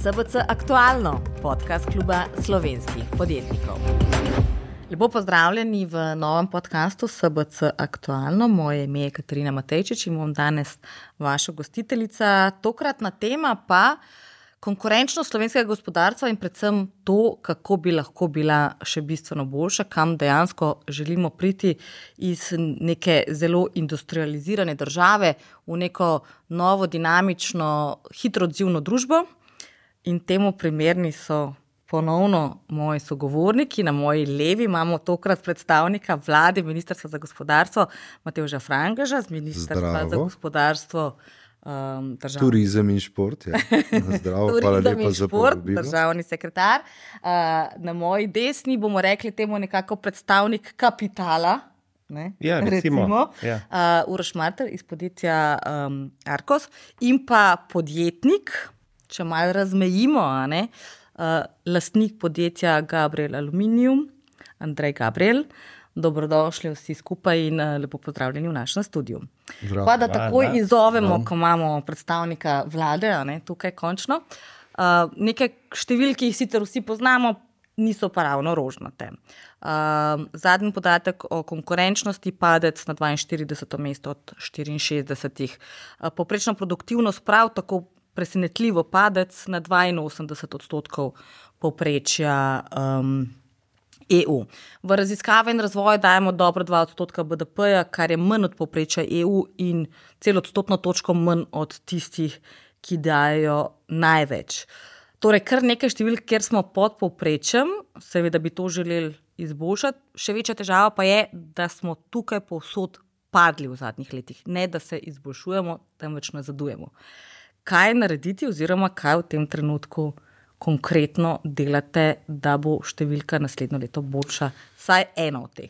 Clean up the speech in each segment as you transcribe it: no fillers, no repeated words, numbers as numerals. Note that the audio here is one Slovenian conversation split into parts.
SBC Aktualno, podcast kluba slovenskih podjetnikov. Lepo pozdravljeni v novem podcastu SBC Aktualno. Moje ime je Katarina Matejčič in bom danes vaša gostiteljica. Tokratna tema pa konkurenčnost slovenskega gospodarstva in predvsem to, kako bi lahko bila še bistveno boljša, kam dejansko želimo priti iz neke zelo industrializirane države v neko novo, dinamično, hitro odzivno družbo. In temu primerni so ponovno moji sogovorniki. Na moji levi imamo tokrat predstavnika vlade, Ministrstva za gospodarstvo, Matevža Frangeža, z Ministrstva za gospodarstvo, turizem in šport. Ja. Zdravo, hvala lepa za povabilo. Državni sekretar. Na moji desni bomo rekli temu nekako predstavnik kapitala. Ne? Ja, recimo. Ja. Uroš Martelj iz podjetja Arkos in pa podjetnik, če malo razmejimo, lastnik podjetja Gabriel Aluminium, Andrej Gabriel. Dobrodošli vsi skupaj in lepo pozdravljeni v našem studiu. Pa da takoj izzovemo, ko imamo predstavnika vlade, tukaj končno. Nekaj številk, ki jih sicer vsi poznamo, niso pa ravno rožnate. Zadnji podatek o konkurenčnosti, padec na 42. mesto od 64. Povprečna produktivnost prav tako presenetljivo padec na 82% povprečja EU. V raziskave in razvoj dajemo dobro 2% BDP-ja, kar je manj od povprečja EU in celo odstotno točko manj od tistih, ki dajo največ. Torej, kar nekaj številk, kjer smo pod povprečjem, seveda bi to želeli izboljšati. Še večja težava pa je, da smo tukaj povsod padli v zadnjih letih. Ne, da se izboljšujemo, temveč nazadujemo. Kaj narediti oziroma kaj v tem trenutku konkretno delate, da bo številka naslednjo leto boljša, saj eno od teh?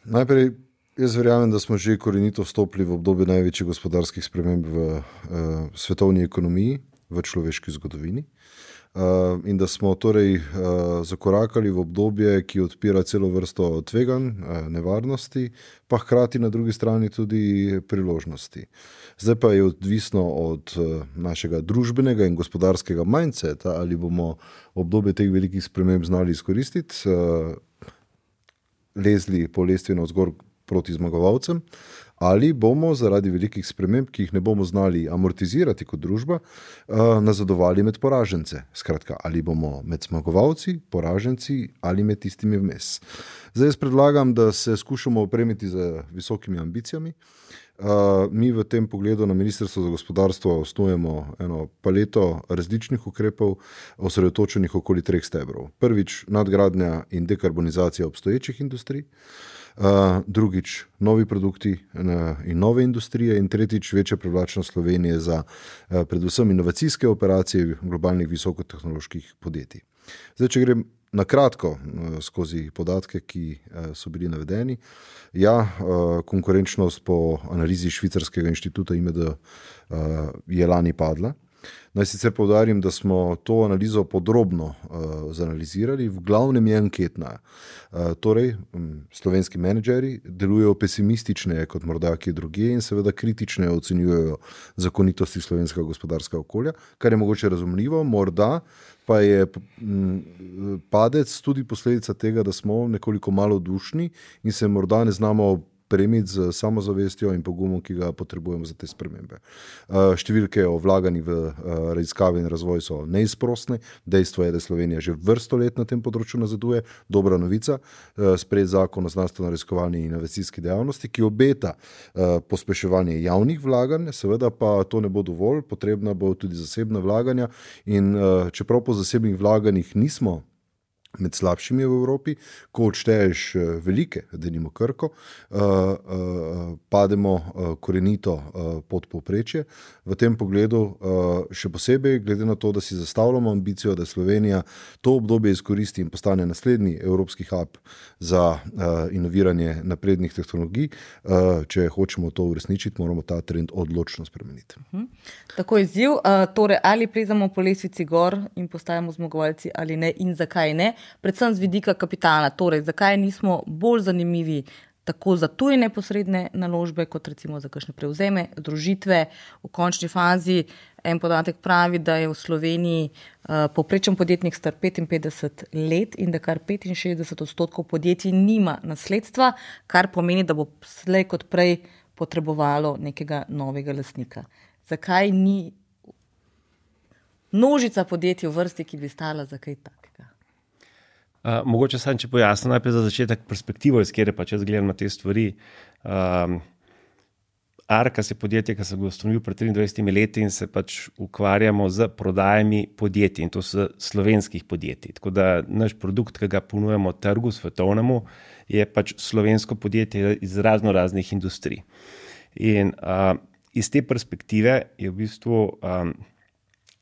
Najprej, jaz verjamem, da smo že korenito vstopili v obdobje največjih gospodarskih sprememb v svetovni ekonomiji, v človeški zgodovini. In da smo torej zakorakali v obdobje, ki odpira celo vrsto tveganj, nevarnosti, pa hkrati na drugi strani tudi priložnosti. Zdaj pa je odvisno od našega družbenega in gospodarskega mindseta, ali bomo obdobje teh velikih sprememb znali izkoristiti, lezli po lestvi navzgor proti zmagovalcem, ali bomo zaradi velikih sprememb, ki jih ne bomo znali amortizirati kot družba, nazadovali med poražence. Skratka, ali bomo med zmagovalci, poraženci ali med tistimi vmes. Zdaj jaz predlagam, da se skušamo opremiti z visokimi ambicijami. Mi v tem pogledu na Ministrstvu za gospodarstvo osnujemo eno paleto različnih ukrepov, osredotočenih okoli 3 stebrov. Prvič, nadgradnja in dekarbonizacija obstoječih industrij. Drugič, novi produkti in nove industrije in tretjič, večja privlačnost Slovenije za predvsem inovacijske operacije globalnih visokotehnoloških podjetij. Zdaj, če grem na kratko skozi podatke, ki so bili navedeni. Ja, konkurenčnost po analizi švicarskega inštituta IMD je lani padla. Naj sicer poudarim, da smo to analizo podrobno zanalizirali, v glavnem je anketna. Torej, slovenski menedžeri delujejo pesimistične kot morda kje drugje in seveda kritične ocenjujejo zakonitosti slovenskega gospodarskega okolja, kar je mogoče razumljivo, morda pa je padec tudi posledica tega, da smo nekoliko malodušni in se morda ne znamo premiti z samozavestjo in pogumom, ki ga potrebujemo za te spremembe. Številke o vlaganjih v raziskave in razvoj so neizprosne. Dejstvo je, da Slovenija že vrsto let na tem področju nazaduje. Dobra novica, sprejet zakon o znanstveno-raziskovalni in inovacijski dejavnosti, ki obeta pospeševanje javnih vlaganj, seveda pa to ne bo dovolj, potrebna bo tudi zasebna vlaganja in čeprav po zasebnih vlaganjih nismo med slabšimi v Evropi, ko odšteješ velike, denimo Krko, pademo korenito pod povprečje. V tem pogledu še posebej, glede na to, da si zastavljamo ambicijo, da Slovenija to obdobje izkoristi in postane naslednji evropski hub za inoviranje naprednih tehnologij, če hočemo to uresničiti, moramo ta trend odločno spremeniti. Tako izziv, torej ali plezamo po lestvici gor in postajamo zmagovalci ali ne in zakaj ne? Predvsem z vidika kapitala, torej zakaj nismo bolj zanimivi tako za tuje neposredne naložbe, kot recimo za kakšne prevzeme, združitve v končni fazi. En podatek pravi, da je v Sloveniji povprečen podjetnik star 55 let in da kar 65% podjetij nima nasledstva, kar pomeni, da bo slej kot prej potrebovalo nekega novega lastnika. Zakaj ni množica podjetij v vrsti, ki bi stala za kaj takega? Mogoče sam, če pojasnim najprej za začetek perspektivo, iz kjer pač jaz gledam na te stvari. Arkas je podjetje, ki sem ga ustanovil pred 23 leti in se pač ukvarjamo z prodajami podjetij, in to so slovenskih podjetij. Tako da naš produkt, ki ga ponujamo trgu svetovnemu, je pač slovensko podjetje iz raznih industrij. In iz te perspektive je v bistvu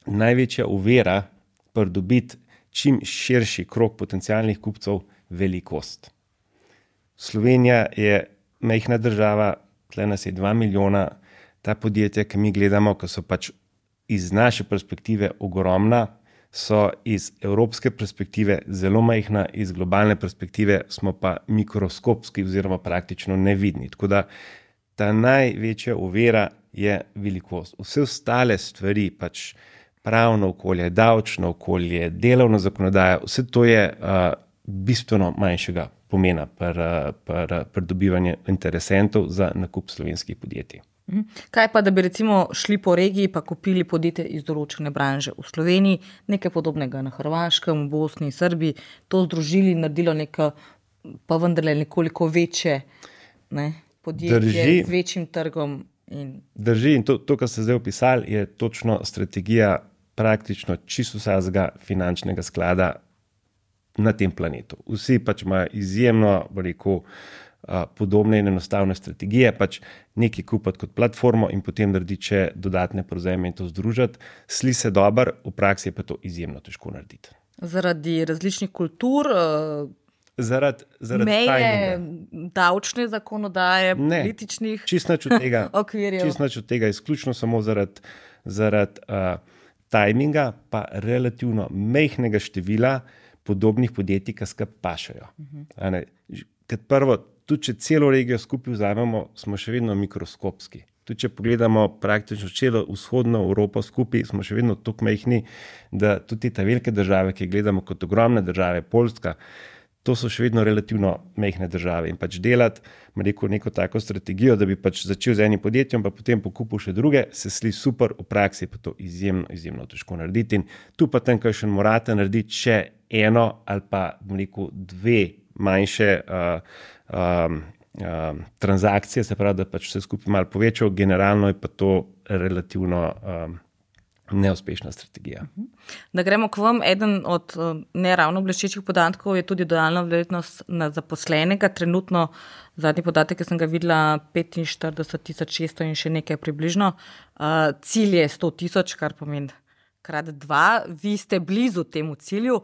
največja ovira pridobiti čim širši krog potencialnih kupcev velikost. Slovenija je majhna država, tle nas je 2 milijona, ta podjetja, ki mi gledamo, ki so pač iz naše perspektive ogromna, so iz evropske perspektive zelo majhna, iz globalne perspektive smo pa mikroskopski oziroma praktično nevidni. Tako da ta največja ovira je velikost. Vse ostale stvari, pač pravno okolje, davčno okolje, delovna zakonodaja, vse to je bistveno manjšega pomena pri dobivanju interesentov za nakup slovenskih podjetij. Kaj pa, da bi recimo šli po regiji pa kupili podjetje iz določene branže v Sloveniji, nekaj podobnega na Hrvaškem, v Bosni, Srbiji, to združili in naredilo neko, pa vendarle nekoliko večje podjetje z večjim trgom? Drži, in to, kar ste zdaj opisali, je točno strategija praktično čisto vsakega finančnega sklada na tem planetu. Vsi pač imajo izjemno, podobne in enostavne strategije, pač nekaj kupiti kot platformo in potem narediti še dodatne prevzeme in to združiti. Sli se dobro, v praksi je pa to izjemno težko narediti. Zaradi različnih kultur, zaradi meje, davčne zakonodaje, političnih okvirjev. Čisto nič od tega, izključno samo zaradi tajminga, pa relativno majhnega števila podobnih podjetij, ki skupaj pašajo. Kot prvo, tudi če celo regijo skupaj vzamemo, smo še vedno mikroskopski. Tudi če pogledamo praktično celo vzhodno Evropo skupaj, smo še vedno toliko majhni, da tudi te velike države, ki gledamo kot ogromne države, Poljska, to so še vedno relativno majhne države. In pač delati, neko tako strategijo, da bi pač začel z enim podjetjem, pa potem pokupil še druge, se sli super, v praksi pa to izjemno težko narediti. In tu pa tam, kaj še morate narediti, še eno ali pa dve manjše transakcije, se pravi, da pač vse skupaj malo povečal, generalno je pa to relativno neuspešna strategija. Da gremo k vam, eden od neravno bleščečih podatkov je tudi dodana vrednost na zaposlenega. Trenutno, zadnji podatek, ki sem ga videla, 45.600 in še nekaj približno. Cilj je 100.000, kar pomeni krat 2. Vi ste blizu temu cilju.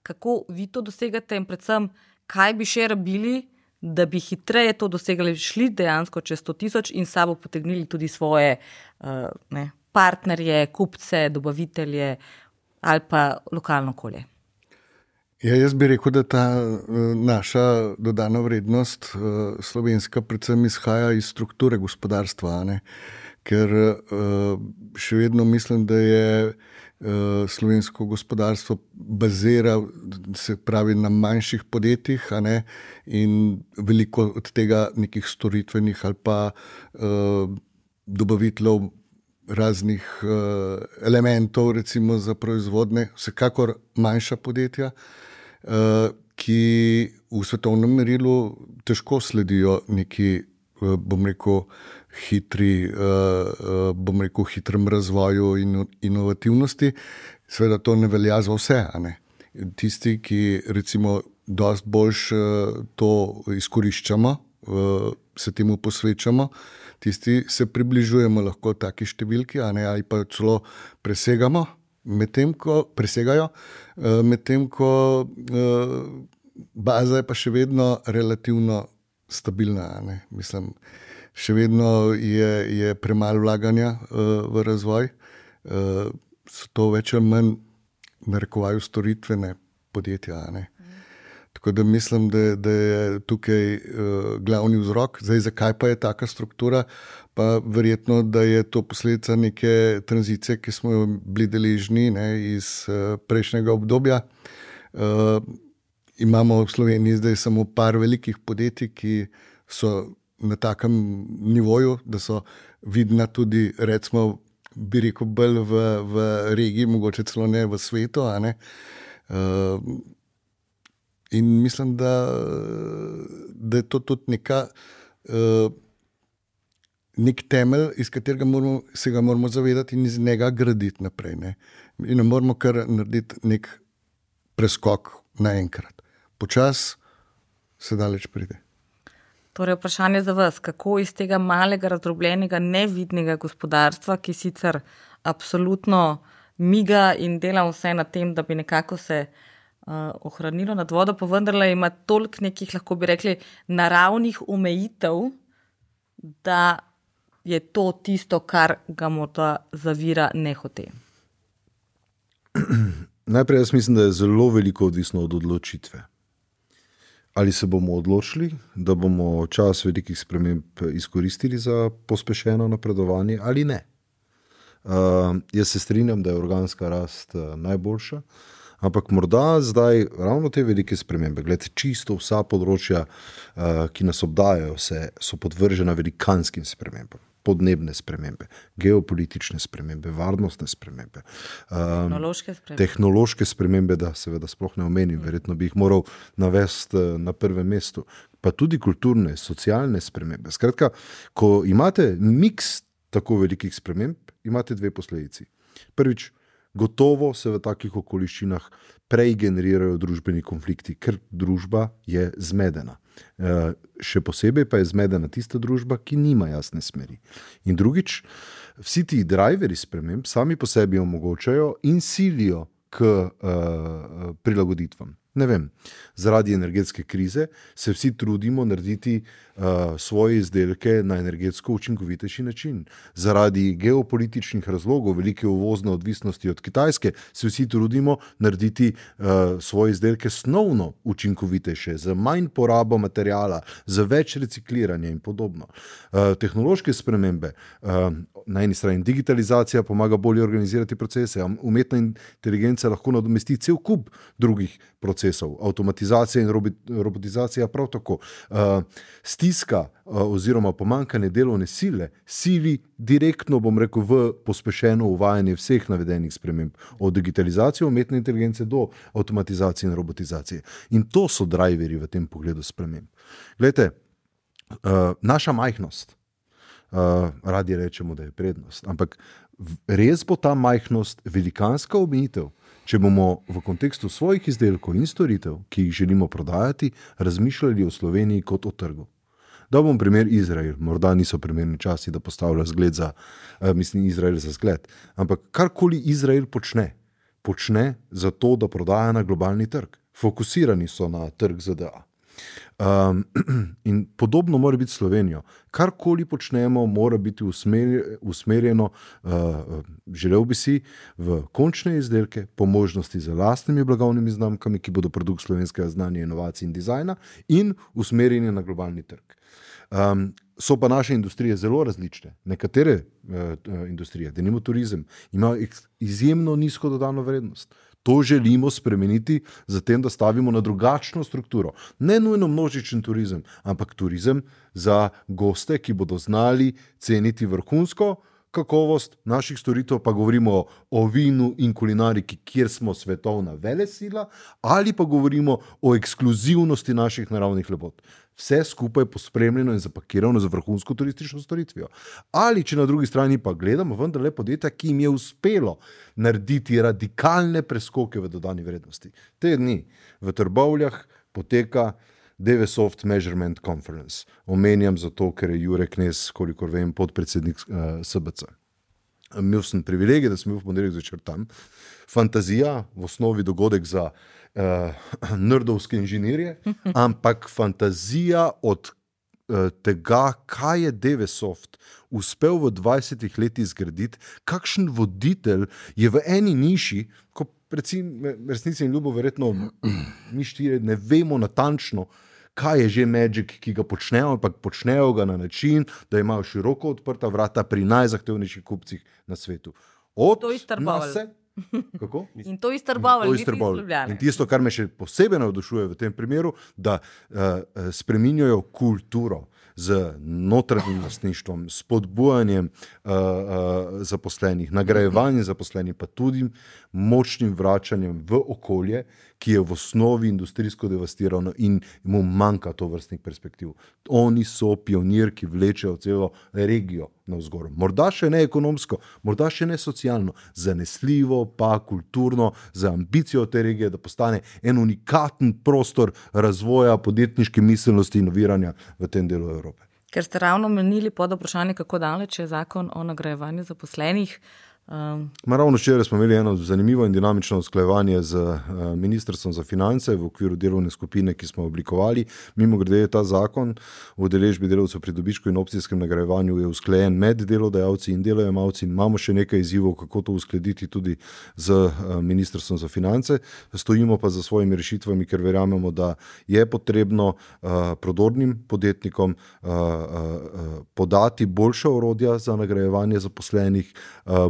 Kako vi to dosegate in predvsem, kaj bi še rabili, da bi hitreje to dosegali, šli dejansko čez 100.000 in sabo potegnili tudi svoje partnerje, kupce, dobavitelje ali pa lokalno okolje? Ja, jaz bi rekel, da ta naša dodana vrednost slovenska predvsem izhaja iz strukture gospodarstva, ker še vedno mislim, da je slovensko gospodarstvo bazira, se pravi, na manjših podjetjih, in veliko od tega nekih storitvenih ali pa dobaviteljev raznih elementov, recimo za proizvodne, vsekakor manjša podjetja, ki v svetovnem merilu težko sledijo neki, hitrem razvoju in inovativnosti. Seveda to ne velja za vse, Tisti, ki recimo dosti boljš to izkoriščamo, se temu posvečamo, tisti se približujemo lahko taki številki, ali pa celo presegajo, medtem ko baza je pa še vedno relativno stabilna. Mislim, še vedno je premalo vlaganja v razvoj, so to več ali manj narekovaju storitvene podjetja. Tako da mislim, da je tukaj glavni vzrok. Zdaj, zakaj pa je taka struktura? Pa verjetno, da je to posledica neke tranzicije, ki smo jo bili deležni iz prejšnjega obdobja. Imamo v Sloveniji zdaj samo par velikih podjetij, ki so na takem nivoju, da so vidna tudi, recimo, bi rekel, bolj v regiji, mogoče celo ne v svetu. In mislim, da je to tudi nek temelj, iz katerega se ga moramo zavedati in iz njega graditi naprej. In ne moramo kar narediti nek preskok naenkrat. Počas se daleč pride. Torej, vprašanje za vas, kako iz tega malega, razdrobljenega, nevidnega gospodarstva, ki sicer absolutno miga in dela vse na tem, da bi nekako se ohranilo nad vodo, pa vendarle ima toliko nekih, lahko bi rekli, naravnih omejitev, da je to tisto, kar ga morda zavira nehote. Najprej jaz mislim, da je zelo veliko odvisno od odločitve. Ali se bomo odločili, da bomo čas velikih sprememb izkoristili za pospešeno napredovanje ali ne. Jaz se strinjam, da je organska rast najboljša, ampak morda zdaj ravno te velike spremembe, glede čisto vsa področja, ki nas obdajajo, so podvržena velikanskim spremembam. Podnebne spremembe, geopolitične spremembe, varnostne spremembe. Tehnološke spremembe, da seveda sploh ne omenim, verjetno bi jih moral navesti na prvem mestu. Pa tudi kulturne, socialne spremembe. Skratka, ko imate miks tako velikih sprememb, imate dve posledici. Prvič, gotovo se v takih okoliščinah prej generirajo družbeni konflikti, ker družba je zmedena. Še posebej pa je zmedena tista družba, ki nima jasne smeri. In drugič, vsi ti driveri sprememb sami po sebi omogočajo in silijo k prilagoditvam. Ne vem, zaradi energetske krize se vsi trudimo narediti svoje izdelke na energetsko učinkovitejši način. Zaradi geopolitičnih razlogov, velike uvozne odvisnosti od Kitajske, se vsi trudimo narediti svoje izdelke snovno učinkovitejše, z manj porabo materiala, z več recikliranja in podobno. Tehnološke spremembe, na eni strani digitalizacija pomaga bolje organizirati procese, umetna inteligenca lahko nadomesti cel kup drugih procesov, avtomatizacija in robotizacija prav tako. Stiska oziroma pomanjkanje delovne sile sili direktno, bom rekel, v pospešeno uvajanje vseh navedenih sprememb, od digitalizacije, umetne inteligence do avtomatizacije in robotizacije. In to so driveri v tem pogledu sprememb. Glejte, naša majhnost, radi rečemo, da je prednost, ampak res bo ta majhnost velikanska omejitev, če bomo v kontekstu svojih izdelkov in storitev, ki jih želimo prodajati, razmišljali o Sloveniji kot o trgu. Da bom primer Izrael, morda niso primerni časi, da postavlja zgled Izrael za zgled, ampak karkoli Izrael počne za to, da prodaja na globalni trg. Fokusirani so na trg ZDA. In podobno mora biti Slovenijo. Karkoli počnemo, mora biti usmerjeno, želel bi si, v končne izdelke, po možnosti z lastnimi blagovnimi znamkami, ki bodo produkt slovenskega znanja, inovacij in dizajna, in usmerjeni na globalni trg. So pa naše industrije zelo različne. Nekatere industrije, denimo turizem, imajo izjemno nizko dodano vrednost. To želimo spremeniti, zatem, da stavimo na drugačno strukturo. Ne nujno množičen turizem, ampak turizem za goste, ki bodo znali ceniti vrhunsko kakovost naših storitev, pa govorimo o vinu in kulinariki, kjer smo svetovna velesila, ali pa govorimo o ekskluzivnosti naših naravnih lepot. Vse skupaj pospremljeno in zapakirano za vrhunsko turistično storitvijo. Ali če na drugi strani pa gledamo vendarle podjetja, ki jim je uspelo narediti radikalne preskoke v dodani vrednosti. Te dni v Trbovljah poteka Devesoft Measurement Conference. Omenjam zato, ker je Jure Knez, kolikor vem, podpredsednik SBC. Imel sem privilegij, da sem bil v ponedeljek zvečer tam. Fantazija, v osnovi dogodek za nerdovske inženirje, ampak fantazija od tega, kaj je Devesoft uspel v 20 letih zgraditi, kakšen voditelj je v eni niši, ko resnici in ljubo verjetno mi štiri ne vemo natančno, kaj je že Magic, ki ga počnejo, ampak počnejo ga na način, da imajo široko odprta vrata pri najzahtevnejših kupcih na svetu. To je Starbavl. Kako? In to je Starbavl, niti iz Ljubljane. In tisto, kar me še posebej navdušuje v tem primeru, da spreminjajo kulturo z notranjim lastništvom, spodbujanjem zaposlenih, nagrajevanjem zaposlenih, pa tudi močnim vračanjem v okolje, ki je v osnovi industrijsko devastirano in mu manjka to vrstnih perspektiv. Oni so pionir, ki vlečejo celo regijo navzgor. Morda še ne ekonomsko, morda še ne socialno, zanesljivo, pa kulturno, za ambicijo te regije, da postane en unikaten prostor razvoja podjetniške miselnosti in inoviranja v tem delu Evrope. Ker ste ravno menili pod vprašanje, kako daleč je zakon o nagrajevanju zaposlenih. Ravno včeraj smo imeli eno zanimivo in dinamično usklajevanje z Ministrstvom za finance v okviru delovne skupine, ki smo oblikovali. Mimogrede je ta zakon o udeležbi delavcev pri dobičku in opcijskem nagrajevanju je usklajen med delodajalci in delojemalci. Imamo še nekaj izzivov, kako to uskladiti tudi z Ministrstvom za finance. Stojimo pa za svojimi rešitvami, ker verjamemo, da je potrebno prodornim podjetnikom podati boljša orodja za nagrajevanje zaposlenih,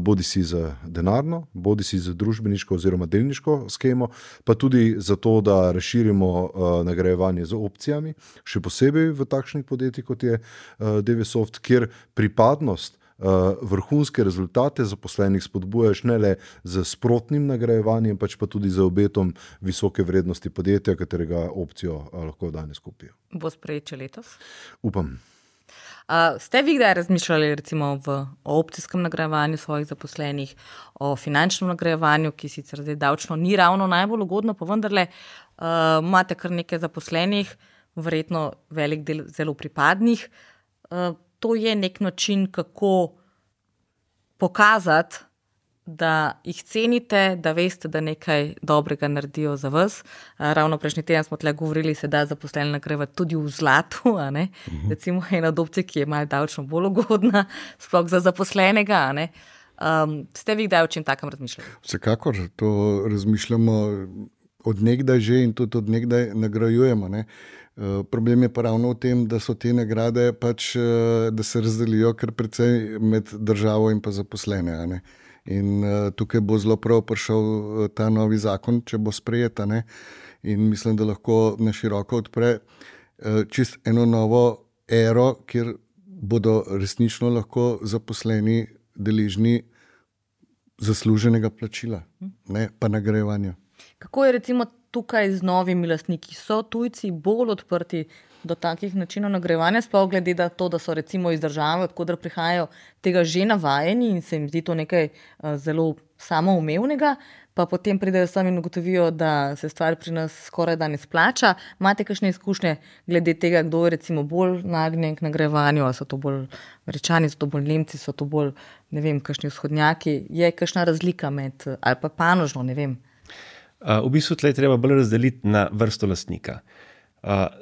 bodi si za denarno, bodi si za družbeniško oziroma delniško skemo, pa tudi za to, da razširimo nagrajevanje z opcijami, še posebej v takšnih podjetjih, kot je Devesoft, kjer pripadnost vrhunske rezultate zaposlenih spodbujaš ne le z sprotnim nagrajevanjem, pač pa tudi z obetom visoke vrednosti podjetja, katerega opcijo lahko danes kupijo. Bo sprejet letos? Upam. Ste vi kdaj razmišljali recimo o opcijskem nagrajevanju svojih zaposlenih, o finančnem nagrajevanju, ki sicer zdaj davčno ni ravno najbolj ugodno, pa vendarle imate kar nekaj zaposlenih, verjetno velik del zelo pripadnih. To je nek način, kako pokazati, da jih cenite, da veste, da nekaj dobrega naredijo za vas. Ravno prejšnji teden smo tle govorili, se da zaposlene nagrajevati tudi v zlatu, a ne? Recimo ena od opcij, ki je malo davčno bolj ugodna, sploh za zaposlenega, a ne? Ste vi kdaj o čem takem razmišljali? Vsekakor, to razmišljamo od nekdaj že in tudi od nekdaj nagrajujemo, ne? Problem je pa ravno v tem, da so te nagrade pač, da se razdelijo kar precej med državo in pa zaposlene, a ne? In tukaj bo zelo prav prišel ta novi zakon, če bo sprejet, ne? In mislim, da lahko na široko odpre čist eno novo ero, kjer bodo resnično lahko zaposleni deležni zasluženega plačila, ne pa nagrajevanja. Kako je recimo tukaj z novimi lastniki? So tujci bolj odprti do takih načinov nagrajevanja, sploh glede na to, da so recimo iz države, odkudar prihajajo, tega že navajeni in se jim zdi to nekaj zelo samoumevnega, pa potem pridejo sami in ugotovijo, da se stvar pri nas skoraj da ne splača. Imate kakšne izkušnje glede tega, kdo je recimo bolj nagnjen k nagrajevanju, ali so to bolj Američani, so to bolj Nemci, so to bolj, ne vem, kakšni vzhodnjaki? Je kakšna razlika med, ali pa panožno, ne vem? V bistvu tle treba bolj razdeliti na vrsto lastnika.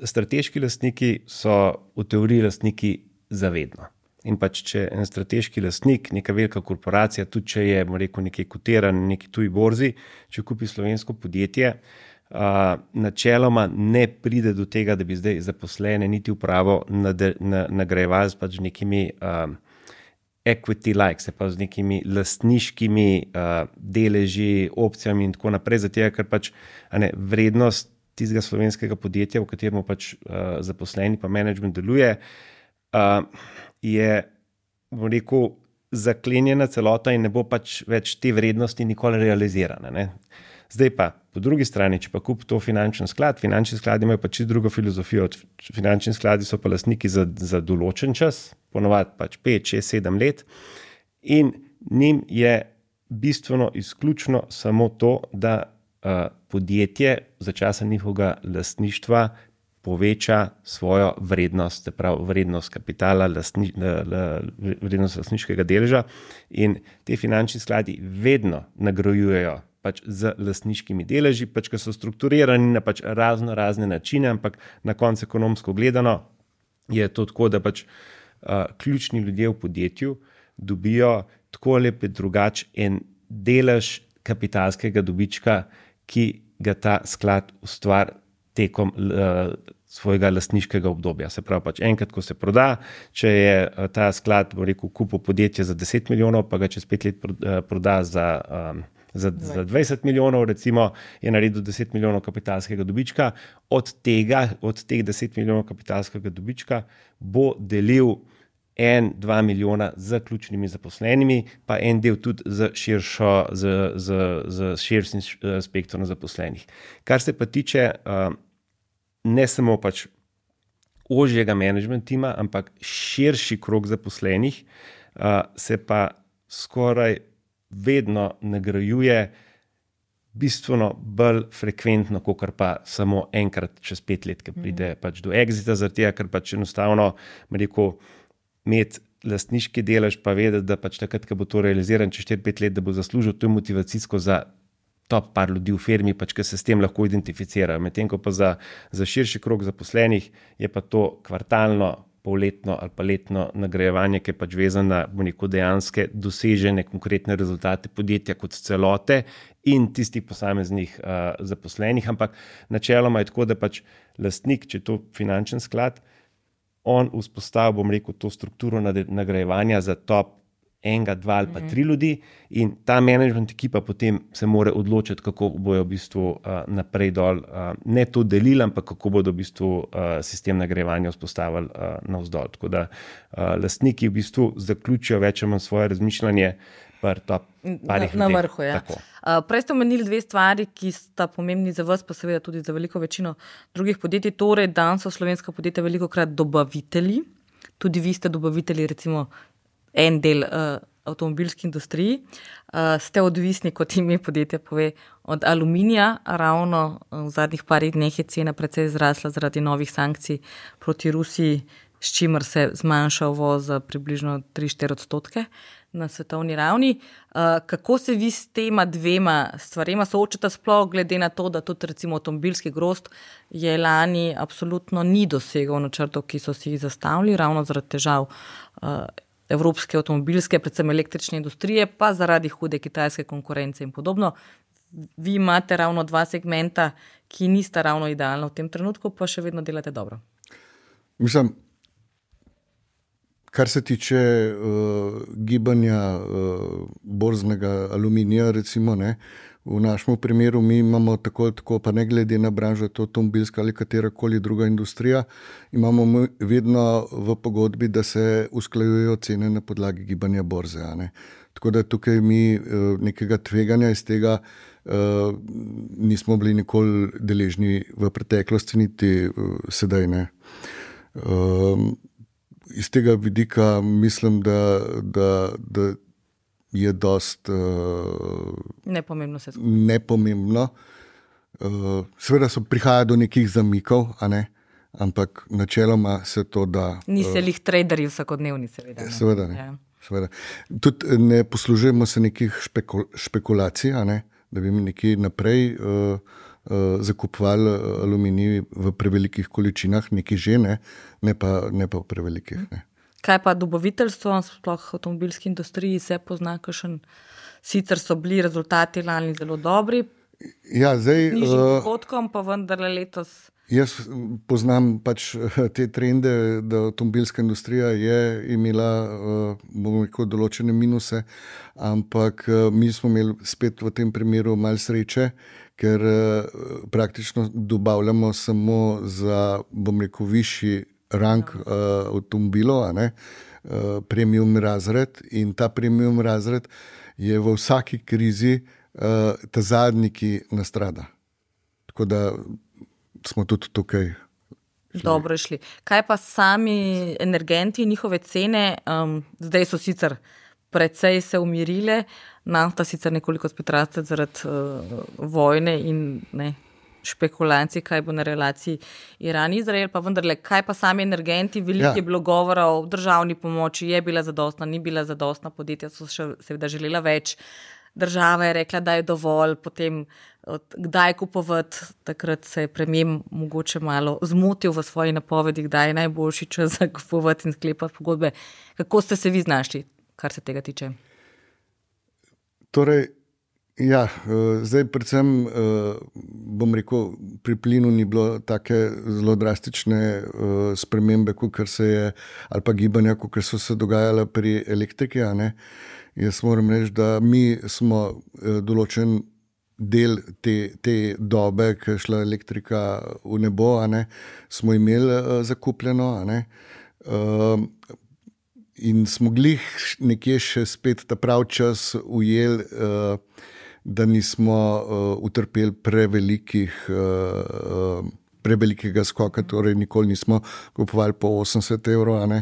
Strateški lastniki so v teoriji lastniki zavedno. In pač, če en strateški lastnik, neka velika korporacija, tudi če je, rekel, nekaj kotiran na neki tuji borzi, če kupi slovensko podjetje, načeloma ne pride do tega, da bi zdaj zaposlene niti upravo nagrajevali s pač nekimi equity likes, pa z nekimi lastniškimi deleži, opcijami in tako naprej, zato ker pač vrednost tistega slovenskega podjetja, v katerem pač zaposleni pa management deluje, je, bom rekel, zaklenjena celota in ne bo pač več te vrednosti nikoli realizirana, ne. Zdaj pa, po drugi strani, če pa kupi to finančni skladi imajo pač drugo filozofijo. Finančni skladi so pa lastniki za določen čas, ponovadi pač 5, 6, 7 let in njim je bistveno izključno samo to, da podjetje za časa njihovega lastništva poveča svojo vrednost, vrednost kapitala, vrednost lastniškega deleža in te finančni skladi vedno nagrajujejo pač z lastniškimi deleži, pač, ki so strukturirani na pač razne načine, ampak na koncu ekonomsko gledano je to tako, da pač ključni ljudje v podjetju dobijo tako ali drugače en delež kapitalskega dobička, ki ga ta sklad ustvari tekom svojega lastniškega obdobja. Se pravi, pač enkrat, ko se proda, če je ta sklad, bo rekel, kupil podjetje za 10 milijonov, pa ga čez 5 let proda za 20 milijonov, recimo, je naredil 10 milijonov kapitalskega dobička. Od teh 10 milijonov kapitalskega dobička bo delil 1-2 milijona z ključnimi zaposlenimi, pa en del tudi z širšim spektrom zaposlenih. Kar se pa tiče ne samo pač ožjega management tima, ampak širši krog zaposlenih, se pa skoraj vedno nagrajuje bistveno bolj frekventno, kot pa samo enkrat čez 5 let, ki pride pač do exita, zaradi tega, ker pač enostavno, rekel, imeti lastniški delež, pa vedeti, da pač takrat, ko bo to realiziran čez 4-5 let, da bo zaslužil, to je motivacijsko za top par ljudi v firmi, pač, ki se s tem lahko identificirajo. Medtem ko pa za širši krog zaposlenih je pa to kvartalno, polletno ali pa letno nagrajevanje, ki je pač vezano na dejanske dosežene konkretne rezultate podjetja kot celote in tistih posameznih zaposlenih. Ampak načeloma je tako, da pač lastnik, če je to finančen sklad, on vzpostavil, bom rekel, to strukturo nagrajevanja za top 1, 2 ali pa 3 ljudi in ta management ekipa potem se mora odločiti, kako bojo v bistvu naprej dol, ne to delili, ampak kako bodo v bistvu sistem nagrajevanja vzpostavili navzdol. Tako da lastniki v bistvu zaključijo več ali manj svoje razmišljanje na vrhu. Ja. Prej ste omenili 2 stvari, ki sta pomembni za vas, pa seveda tudi za veliko večino drugih podjetij. Torej, danes so slovenska podjetja velikokrat dobavitelji. Tudi vi ste dobavitelji, recimo en del avtomobilski industriji. Ste odvisni, kot ime podjetja pove, od aluminija. Ravno v zadnjih parih dneh je cena precej zrasla zaradi novih sankcij proti Rusiji, s čimer se zmanjša uvoz za približno 3-4% na svetovni ravni. Kako se vi s tema 2 stvarema soočate, sploh glede na to, da tudi recimo avtomobilski grozd je lani absolutno ni dosegel načrtov, ki so si jih zastavili, ravno zaradi težav evropske avtomobilske, predvsem električne industrije, pa zaradi hude kitajske konkurence in podobno. Vi imate ravno 2 segmenta, ki nista ravno idealna v tem trenutku, pa še vedno delate dobro. Mislim, kar se tiče gibanja borznega aluminija, recimo, ne, v našem primeru mi imamo tako, pa ne glede na branžo, to avtomobilska ali katerakoli druga industrija, imamo vedno v pogodbi, da se usklajujejo cene na podlagi gibanja borze. Ne. Tako da tukaj mi nekega tveganja iz tega nismo bili nikoli deležni v preteklosti, niti sedaj ne. Iz tega vidika mislim, da je dost nepomembno. Seveda prihaja do nekih zamikov, a ne? Ampak načeloma se to da. Niste lih traderji vsakodnevni, seveda. Seveda ne. Ja. Seveda. Tudi ne poslužujemo se nekih špekulacij, a ne? Da bi mi nekje naprej zakupovali aluminij v prevelikih količinah, nekaj že ne pa v prevelikih. Ne. Kaj pa dobaviteljstvo, sploh v avtomobilski industriji se pozna, kakšen sicer so bili rezultati lani zelo dobri, ja, zdaj, nižjim prihodkom, pa vendarle letos. Jaz poznam pač te trende, da avtomobilska industrija je imela, bomo rekel, določene minuse, ampak mi smo imeli spet v tem primeru malo sreče, ker praktično dobavljamo samo za, bom rekel, višji rang avtomobilov, premium razred, in ta premium razred je v vsaki krizi ta zadnji, ki nastrada. Tako da smo tudi tukaj dobro šli. Kaj pa sami energenti, njihove cene, zdaj so sicer precej se umirile, nafta sicer nekoliko spet raste zaradi vojne in špekulacij, kaj bo na relaciji Iran-Izrael, pa vendarle, kaj pa sami energenti, veliko je bilo govora o državni pomoči, je bila zadostna, ni bila zadostna, podjetja so še seveda želela več. država je rekla, da je dovolj, potem kdaj kupovati, takrat se je premier mogoče malo zmotil v svoji napovedi, kdaj je najboljši čas za kupovati in sklepati pogodbe. Kako ste se vi znašli, kar se tega tiče? Torej, ja, zdaj predvsem, bom rekel, pri plinu ni bilo take zelo drastične spremembe, kakor se je, ali pa gibanja, kakor so se dogajala pri elektriki, a ne. Jaz moram reči, da mi smo določen del te dobe, ki je šla elektrika v nebo, a ne, smo imeli zakupljeno, a ne. In smo glih nekje še spet ta prav čas ujeli, da nismo utrpeli prevelikega skoka, torej nikoli nismo kupovali po 80 evrov, a ne.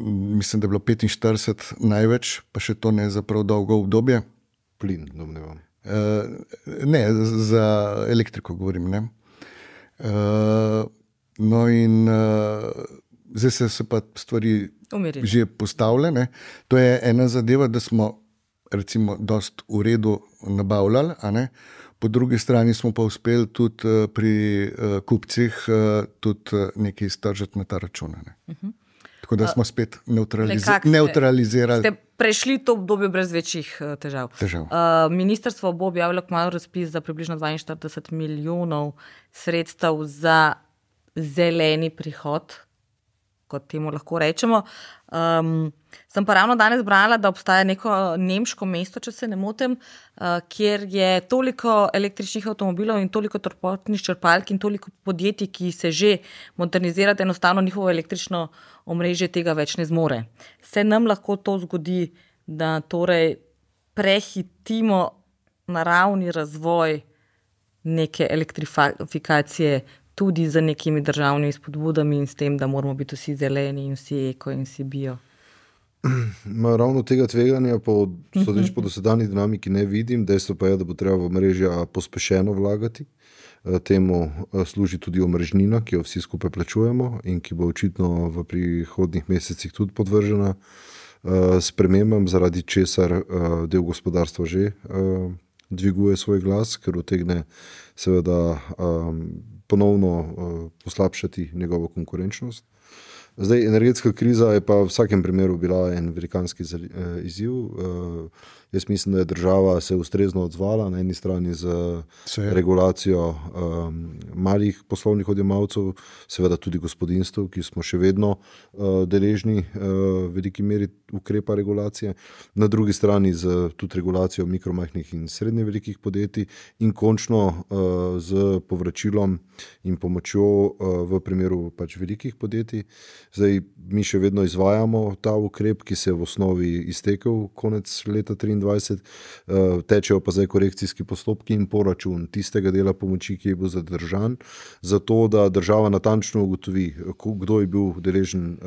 Mislim, da je bilo 45 največ, pa še to ne za prav dolgo obdobje. Plin, domnevam. Ne, za elektriko govorim, ne. No in zdaj se pa stvari Umirili. Že postavljene. To je ena zadeva, da smo recimo dost v redu nabavljali, a ne. Po drugi strani smo pa uspeli tudi pri kupcih tudi nekaj iztržiti na ta račun, ne. Tako da smo spet neutralizirali. Ste prešli to obdobje brez večjih težav. Ministrstvo bo objavilo kmalu razpis za približno 42 milijonov sredstev za zeleni prihod, kot temu lahko rečemo. Sem pa ravno danes brala, da obstaja neko nemško mesto, če se ne motim, kjer je toliko električnih avtomobilov in toliko toplotnih črpalk in toliko podjetij, ki se že modernizirajo, enostavno njihovo električno omrežje tega več ne zmore. Se nam lahko to zgodi, da torej prehitimo naravni razvoj neke elektrifikacije tudi z nekimi državnimi spodbudami in s tem, da moramo biti vsi zeleni in vsi eko in vsi bio. Ravno tega tveganja sodeč po dosedanji dinamiki ne vidim. Dejstvo pa je, da bo treba v mrežja pospešeno vlagati. Temu služi tudi omrežnina, ki jo vsi skupaj plačujemo in ki bo očitno v prihodnjih mesecih tudi podvržena spremembam, zaradi česar del gospodarstva že dviguje svoj glas, ker utegne seveda ponovno poslabšati njegovo konkurenčnost. Zdaj, energetska kriza je pa v vsakem primeru bila en velikanski izziv. Jaz mislim, da je država se ustrezno odzvala na eni strani z regulacijo malih poslovnih odjemalcev, seveda tudi gospodinstv, ki smo še vedno deležni v veliki meri ukrepa regulacije, na drugi strani z tudi regulacijo mikromajhnih in srednje velikih podjetij in končno z povračilom in pomočjo v primeru pač velikih podjetij. Zdaj, mi še vedno izvajamo ta ukrep, ki se je v osnovi iztekel konec leta 2023, tečejo pa zdaj korekcijski postopki in poračun tistega dela pomoči, ki je bil zadržan, zato da država natančno ugotovi, kdo je bil deležen,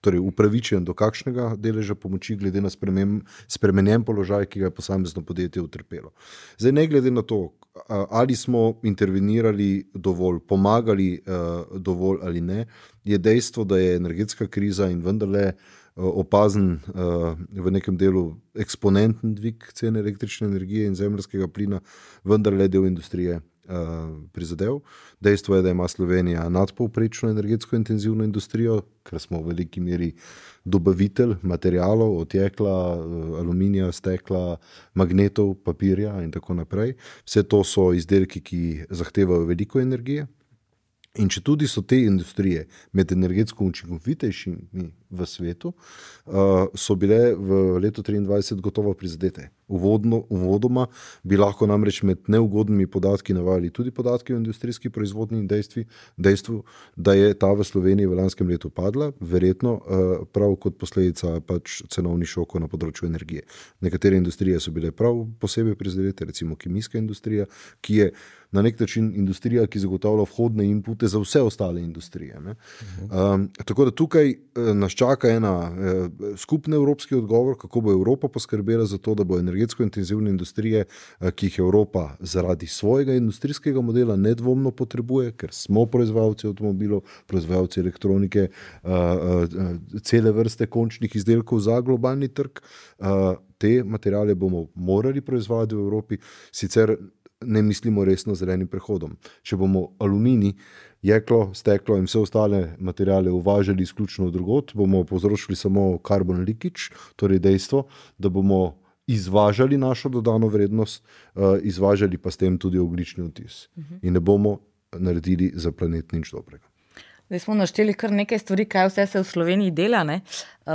torej upravičen do kakšnega deleža pomoči glede na spremenjen položaj, ki ga je posamezno podjetje utrpelo. Zdaj, ne glede na to, ali smo intervenirali dovolj, pomagali dovolj ali ne, je dejstvo, da je energetska kriza in vendarle opazen v nekem delu eksponenten dvig cene električne energije in zemeljskega plina, vendarle del industrije prizadel. Dejstvo je, da ima Slovenija nadpovprečno energetsko intenzivno industrijo, ker smo v veliki meri dobavitelj materialov, od jekla, aluminija, stekla, magnetov, papirja in tako naprej. Vse to so izdelki, ki zahtevajo veliko energije. In če tudi so te industrije med energetsko učinkovitejšimi v svetu, so bile v letu 2023 gotovo prizadete. Uvodoma bi lahko namreč med neugodnimi podatki navajali tudi podatki o industrijski proizvodnji in dejstvu, da je ta v Sloveniji v lanskem letu padla, verjetno prav kot posledica pač cenovnih šokov na področju energije. Nekatere industrije so bile prav posebej prizadete, recimo kemijska industrija, ki je na nek način industrija, ki zagotavlja vhodne inpute za vse ostale industrije. Tako da tukaj nas čaka skupni evropski odgovor, kako bo Evropa poskrbela za to, da bo energetsko intenzivne industrije, ki jih Evropa zaradi svojega industrijskega modela nedvomno potrebuje, ker smo proizvajalci avtomobilov, proizvajalci elektronike, cele vrste končnih izdelkov za globalni trg. Te materiale bomo morali proizvajati v Evropi, sicer ne mislimo resno zelenim prehodom. Če bomo aluminij, jeklo, steklo in vse ostale materiale uvažali izključno drugod, bomo povzročili samo carbon leakage, torej dejstvo, da bomo izvažali našo dodano vrednost, izvažali pa s tem tudi ogljični odtis. In ne bomo naredili za planet nič dobrega. Zdaj smo našteli kar nekaj stvari, kaj vse se v Sloveniji dela. Ne?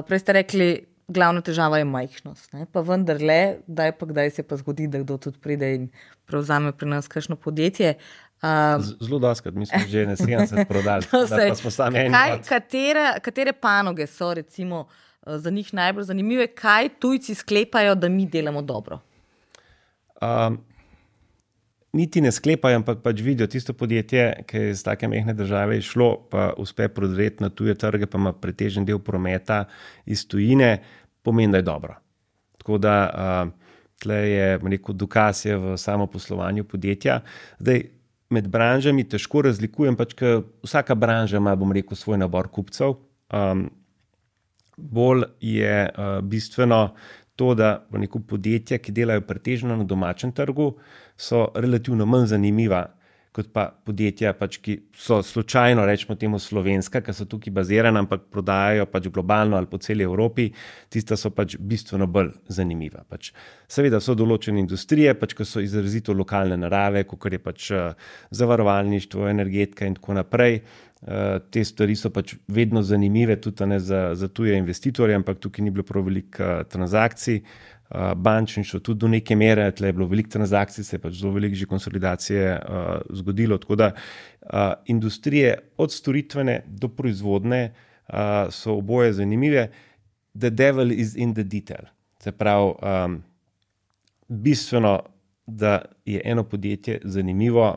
Prej ste rekli, glavna težava je majhnost. Ne? Pa vendarle, kdaj se pa zgodi, da kdo tudi pride in prevzame pri nas kakšno podjetje. Zelo doskrat, mi smo že na 70 prodali, pa smo sami eni. Katere panoge so recimo za njih najbolj zanimive, kaj tujci sklepajo, da mi delamo dobro? Niti ne sklepajo, ampak pač vidijo tisto podjetje, ki je iz take mehne države išlo, pa uspe prodreti na tuje trge, pa ima pretežen del prometa iz tujine, pomeni, da je dobro. Tako da tle je dokaz je v samo poslovanju podjetja. Zdaj, med branžami težko razlikujem, pač ker vsaka branža ima, svoj nabor kupcev. Bolj je bistveno to, da podjetja, ki delajo pretežno na domačem trgu, so relativno manj zanimiva kot pa podjetja, pač, ki so slučajno, rečemo temu slovenska, ki so tukaj bazirana, ampak prodajajo pač globalno ali po celi Evropi, tista so pač bistveno bolj zanimiva. Pač, seveda so določene industrije, pač, ki so izrazito lokalne narave, kot je pač zavarovalništvo, energetika in tako naprej. Te stvari so pač vedno zanimive tudi ne za tuje investitorje, ampak tukaj ni bilo prav veliko transakcij. Bančništvo tudi do neke mere, tle je bilo veliko transakcij, se je pač zelo veliko že konsolidacije zgodilo, tako da industrije od storitvene do proizvodne so oboje zanimive. The devil is in the detail. Se pravi, bistveno, da je eno podjetje zanimivo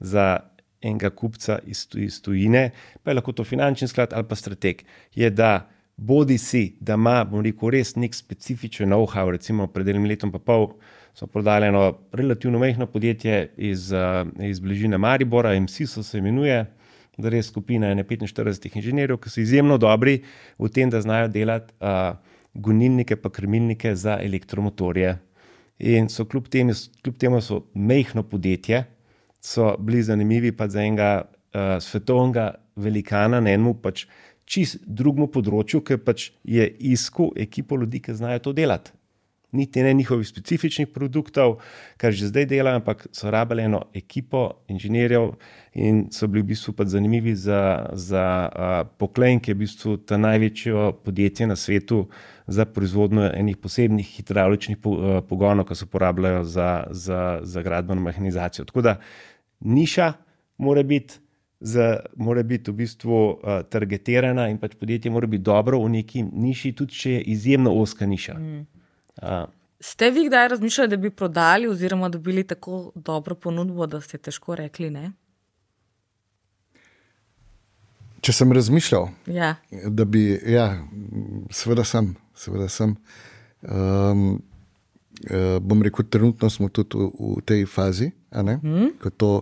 za enega kupca iz tujine, pa je lahko to finančni sklad ali pa strateg, je da bodi si, da ima, res nek specifičen know-how, recimo pred enim letom pa pol smo prodali eno relativno majhno podjetje iz bližine Maribora, MSISO se imenuje, da res skupina 45 inženirjev, ki so izjemno dobri v tem, da znajo delati gonilnike pa krmilnike za elektromotorje. In so kljub temu so majhno podjetje, so bili zanimivi pa za enega svetovnega velikana na enemu pač čist drugemu področju, ker pač je iskal ekipo ljudi, ki znajo to delati. Niti ne njihovih specifičnih produktov, kar že zdaj delajo, ampak so rabili eno ekipo inženirjev in so bili v bistvu pač zanimivi za Poklen, ki je v bistvu ta največje podjetje na svetu za proizvodnjo enih posebnih hidravličnih pogonov, ki se uporabljajo za gradbeno mehanizacijo. Tako da niša mora biti v bistvu targetirana in pač podjetje mora biti dobro v neki niši, tudi če je izjemno ozka niša. Ste vi kdaj razmišljali, da bi prodali oziroma dobili tako dobro ponudbo, da ste težko rekli ne? Če sem razmišljal, ja. Da bi, seveda sem. Bom rekel, trenutno smo tudi v tej fazi, ko to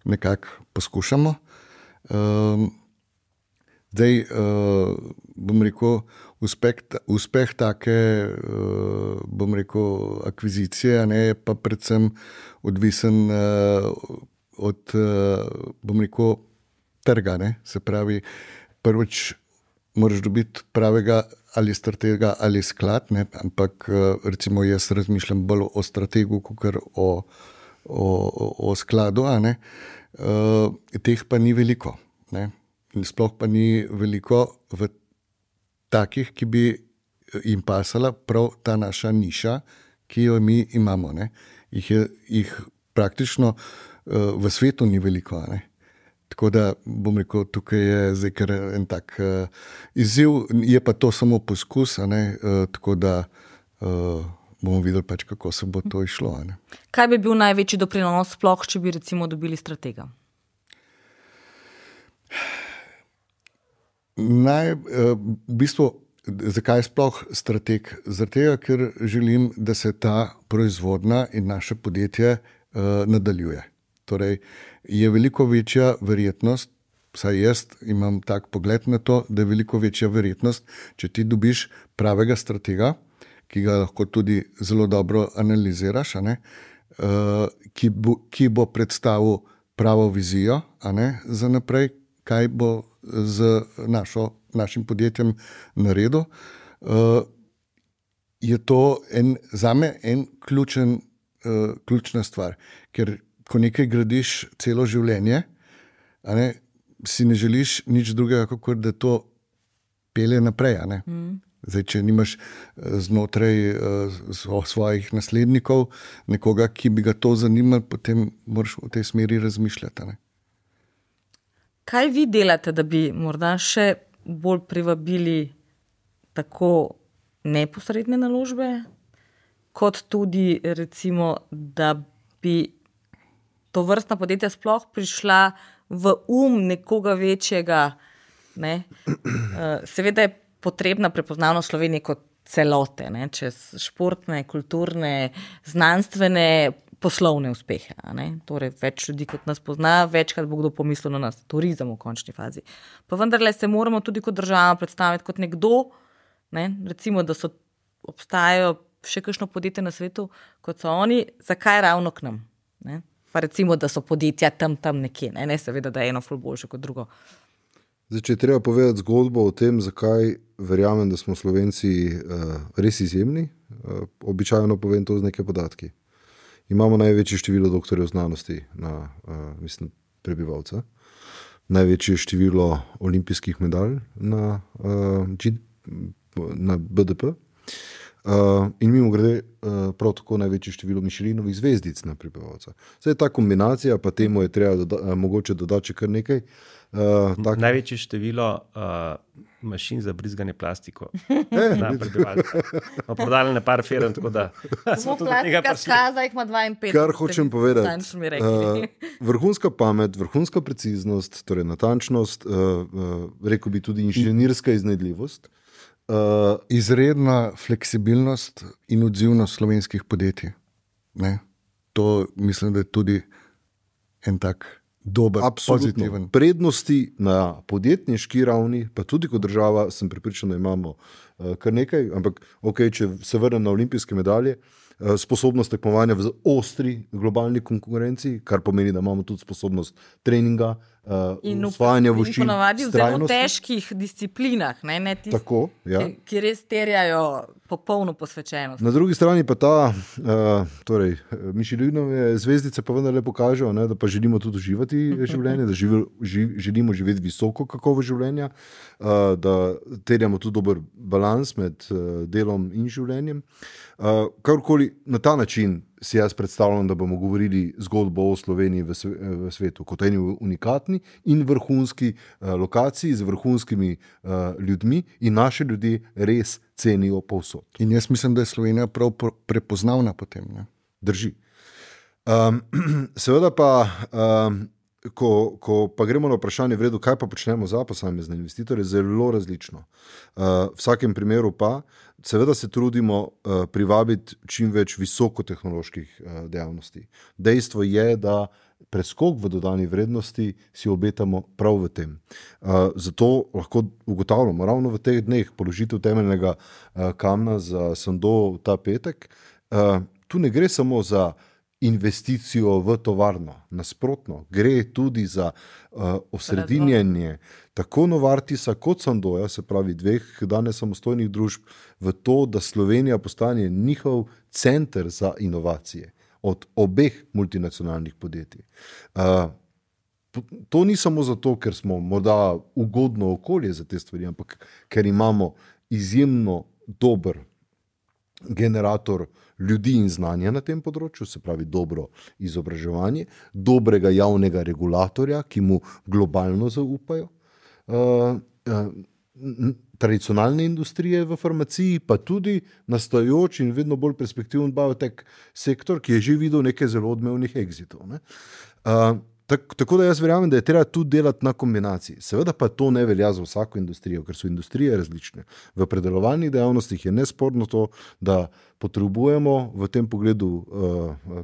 nekako poskušamo. Zdaj, bom rekel, uspeh take, bom rekel, akvizicije, je pa predvsem odvisen od, bom rekel, trga, se pravi, prvič moraš dobiti pravega ali stratega ali sklad, ampak recimo jaz razmišljam bolj o strategu, kot o skladu, teh pa ni veliko, sploh pa ni veliko v takih, ki bi jim pasala prav ta naša niša, ki jo mi imamo, Jih praktično v svetu ni veliko, Tako da bom rekel, tukaj je zdaj kar en tak izziv, je pa to samo poskus, tako da bomo videli pač, kako se bo to išlo. Kaj bi bil največji doprinos sploh, če bi recimo dobili stratega? V bistvu zakaj sploh strateg? Zaradi tega, ker želim, da se ta proizvodnja in naše podjetje nadaljuje. Torej, je veliko večja verjetnost, vsaj jaz imam tak pogled na to, da je veliko večja verjetnost, če ti dobiš pravega stratega, ki ga lahko tudi zelo dobro analiziraš, ki bo predstavil pravo vizijo za naprej, kaj bo z našim podjetjem naredil. Je to zame en ključna stvar, ker ko nekaj gradiš celo življenje, si ne želiš nič drugega, kot da to pelje naprej. Zdaj, če nimaš znotraj svojih naslednikov nekoga, ki bi ga to zanimalo, potem moraš v tej smeri razmišljati. Kaj vi delate, da bi morda še bolj privabili tako neposredne naložbe, kot tudi recimo, da bi to vrstna podjetja sploh prišla v nekoga večjega, ne? Seveda je potrebna prepoznavnost Slovenije kot celote, ne? Čez športne, kulturne, znanstvene, poslovne uspehe. Torej, več ljudi kot nas pozna, večkrat bo kdo pomislil na nas, turizem v končni fazi. Pa vendarle se moramo tudi kot država predstaviti kot nekdo, ne? Recimo, da obstajajo še kakšno podjetje na svetu, kot so oni, zakaj ravno k nam? Ne? Pa recimo, da so podjetja tam nekje, ne seveda, da je eno ful boljše kot drugo. Zdaj, če je treba povedati zgodbo o tem, zakaj verjamem, da smo Slovenci res izjemni, običajno povem to z nekaj podatki. Imamo največje število doktorjev znanosti na prebivalca, največje število olimpijskih medalj na BDP in mimogrede prav tako največje število Michelinovih zvezdic na prebivalca. Zdaj ta kombinacija, pa temu je treba mogoče dodati še kar nekaj. Največje število mašin za brizganje plastiko na prebivalca. Prodali na par firm, tako da smo tudi tega prišli. Skaza jih ima 52. Kar hočem povedati, vrhunska pamet, vrhunska preciznost, torej natančnost, rekel bi tudi inženirska iznajdljivost. Izredna fleksibilnost in odzivnost slovenskih podjetij. Ne? To mislim, da je tudi en tak dober, pozitiven. Prednosti na podjetniški ravni, pa tudi kot država, sem prepričan, da imamo kar nekaj, ampak če se vrnem na olimpijske medalje, sposobnost tekmovanja v ostri globalni konkurenci, kar pomeni, da imamo tudi sposobnost treninga, usvajanja veščin, in ponavadi v zelo težkih disciplinah, ne tistih, tako, ja. ki res terjajo popolno posvečenost. Na drugi strani pa ta Michelinove zvezdice pa vendarle pokažejo, da pa želimo tudi uživati življenje, da želimo živeti visoko kakovost življenja, da terjamo tudi dober balans med delom in življenjem. Karkoli na ta način si jaz predstavljam, da bomo govorili zgodbo o Sloveniji v svetu, kot eni unikatni in vrhunski lokaciji z vrhunskimi ljudmi in naše ljudi res cenijo povsod. In jaz mislim, da je Slovenija prav prepoznavna potem. Ne? Drži. Seveda pa, ko pa gremo na vprašanje v redu, kaj pa počnemo za posamezne investitorje, zelo različno. V vsakem primeru pa seveda se trudimo privabiti čim več visokotehnoloških dejavnosti. Dejstvo je, da preskok v dodani vrednosti si obetamo prav v tem. Zato lahko ugotavljamo ravno v teh dneh položitev temeljnega kamna za Sandoz ta petek. Tu ne gre samo za investicijo v tovarno, nasprotno, gre tudi za osredinjenje tako Novartisa kot Sandoza, se pravi dveh danes samostojnih družb, v to, da Slovenija postane njihov center za inovacije od obeh multinacionalnih podjetij. To ni samo zato, ker smo morda ugodno okolje za te stvari, ampak ker imamo izjemno dober generator ljudi in znanja na tem področju, se pravi dobro izobraževanje, dobrega javnega regulatorja, ki mu globalno zaupajo, tradicionalne industrije v farmaciji, pa tudi nastajajoč in vedno bolj perspektiven biotech sektor, ki je že videl nekaj zelo odmevnih exitov. Tako da jaz verjamem, da je treba tudi delati na kombinaciji. Seveda pa to ne velja za vsako industrijo, ker so industrije različne. V predelovalnih dejavnostih je nesporno to, da potrebujemo v tem pogledu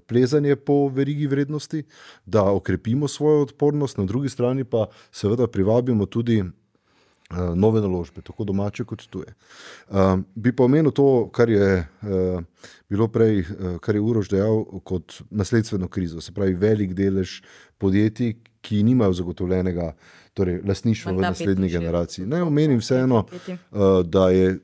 plezanje po verigi vrednosti, da okrepimo svojo odpornost, na drugi strani pa seveda privabimo tudi nove naložbe, tako domače kot tuje. Bi pa omenil to, kar je bilo prej, kar je Uroš dejal kot nasledstveno krizo, se pravi velik delež podjetij, ki nimajo zagotovljenega lastništva v naslednji generaciji. Ne omenim vseeno, da je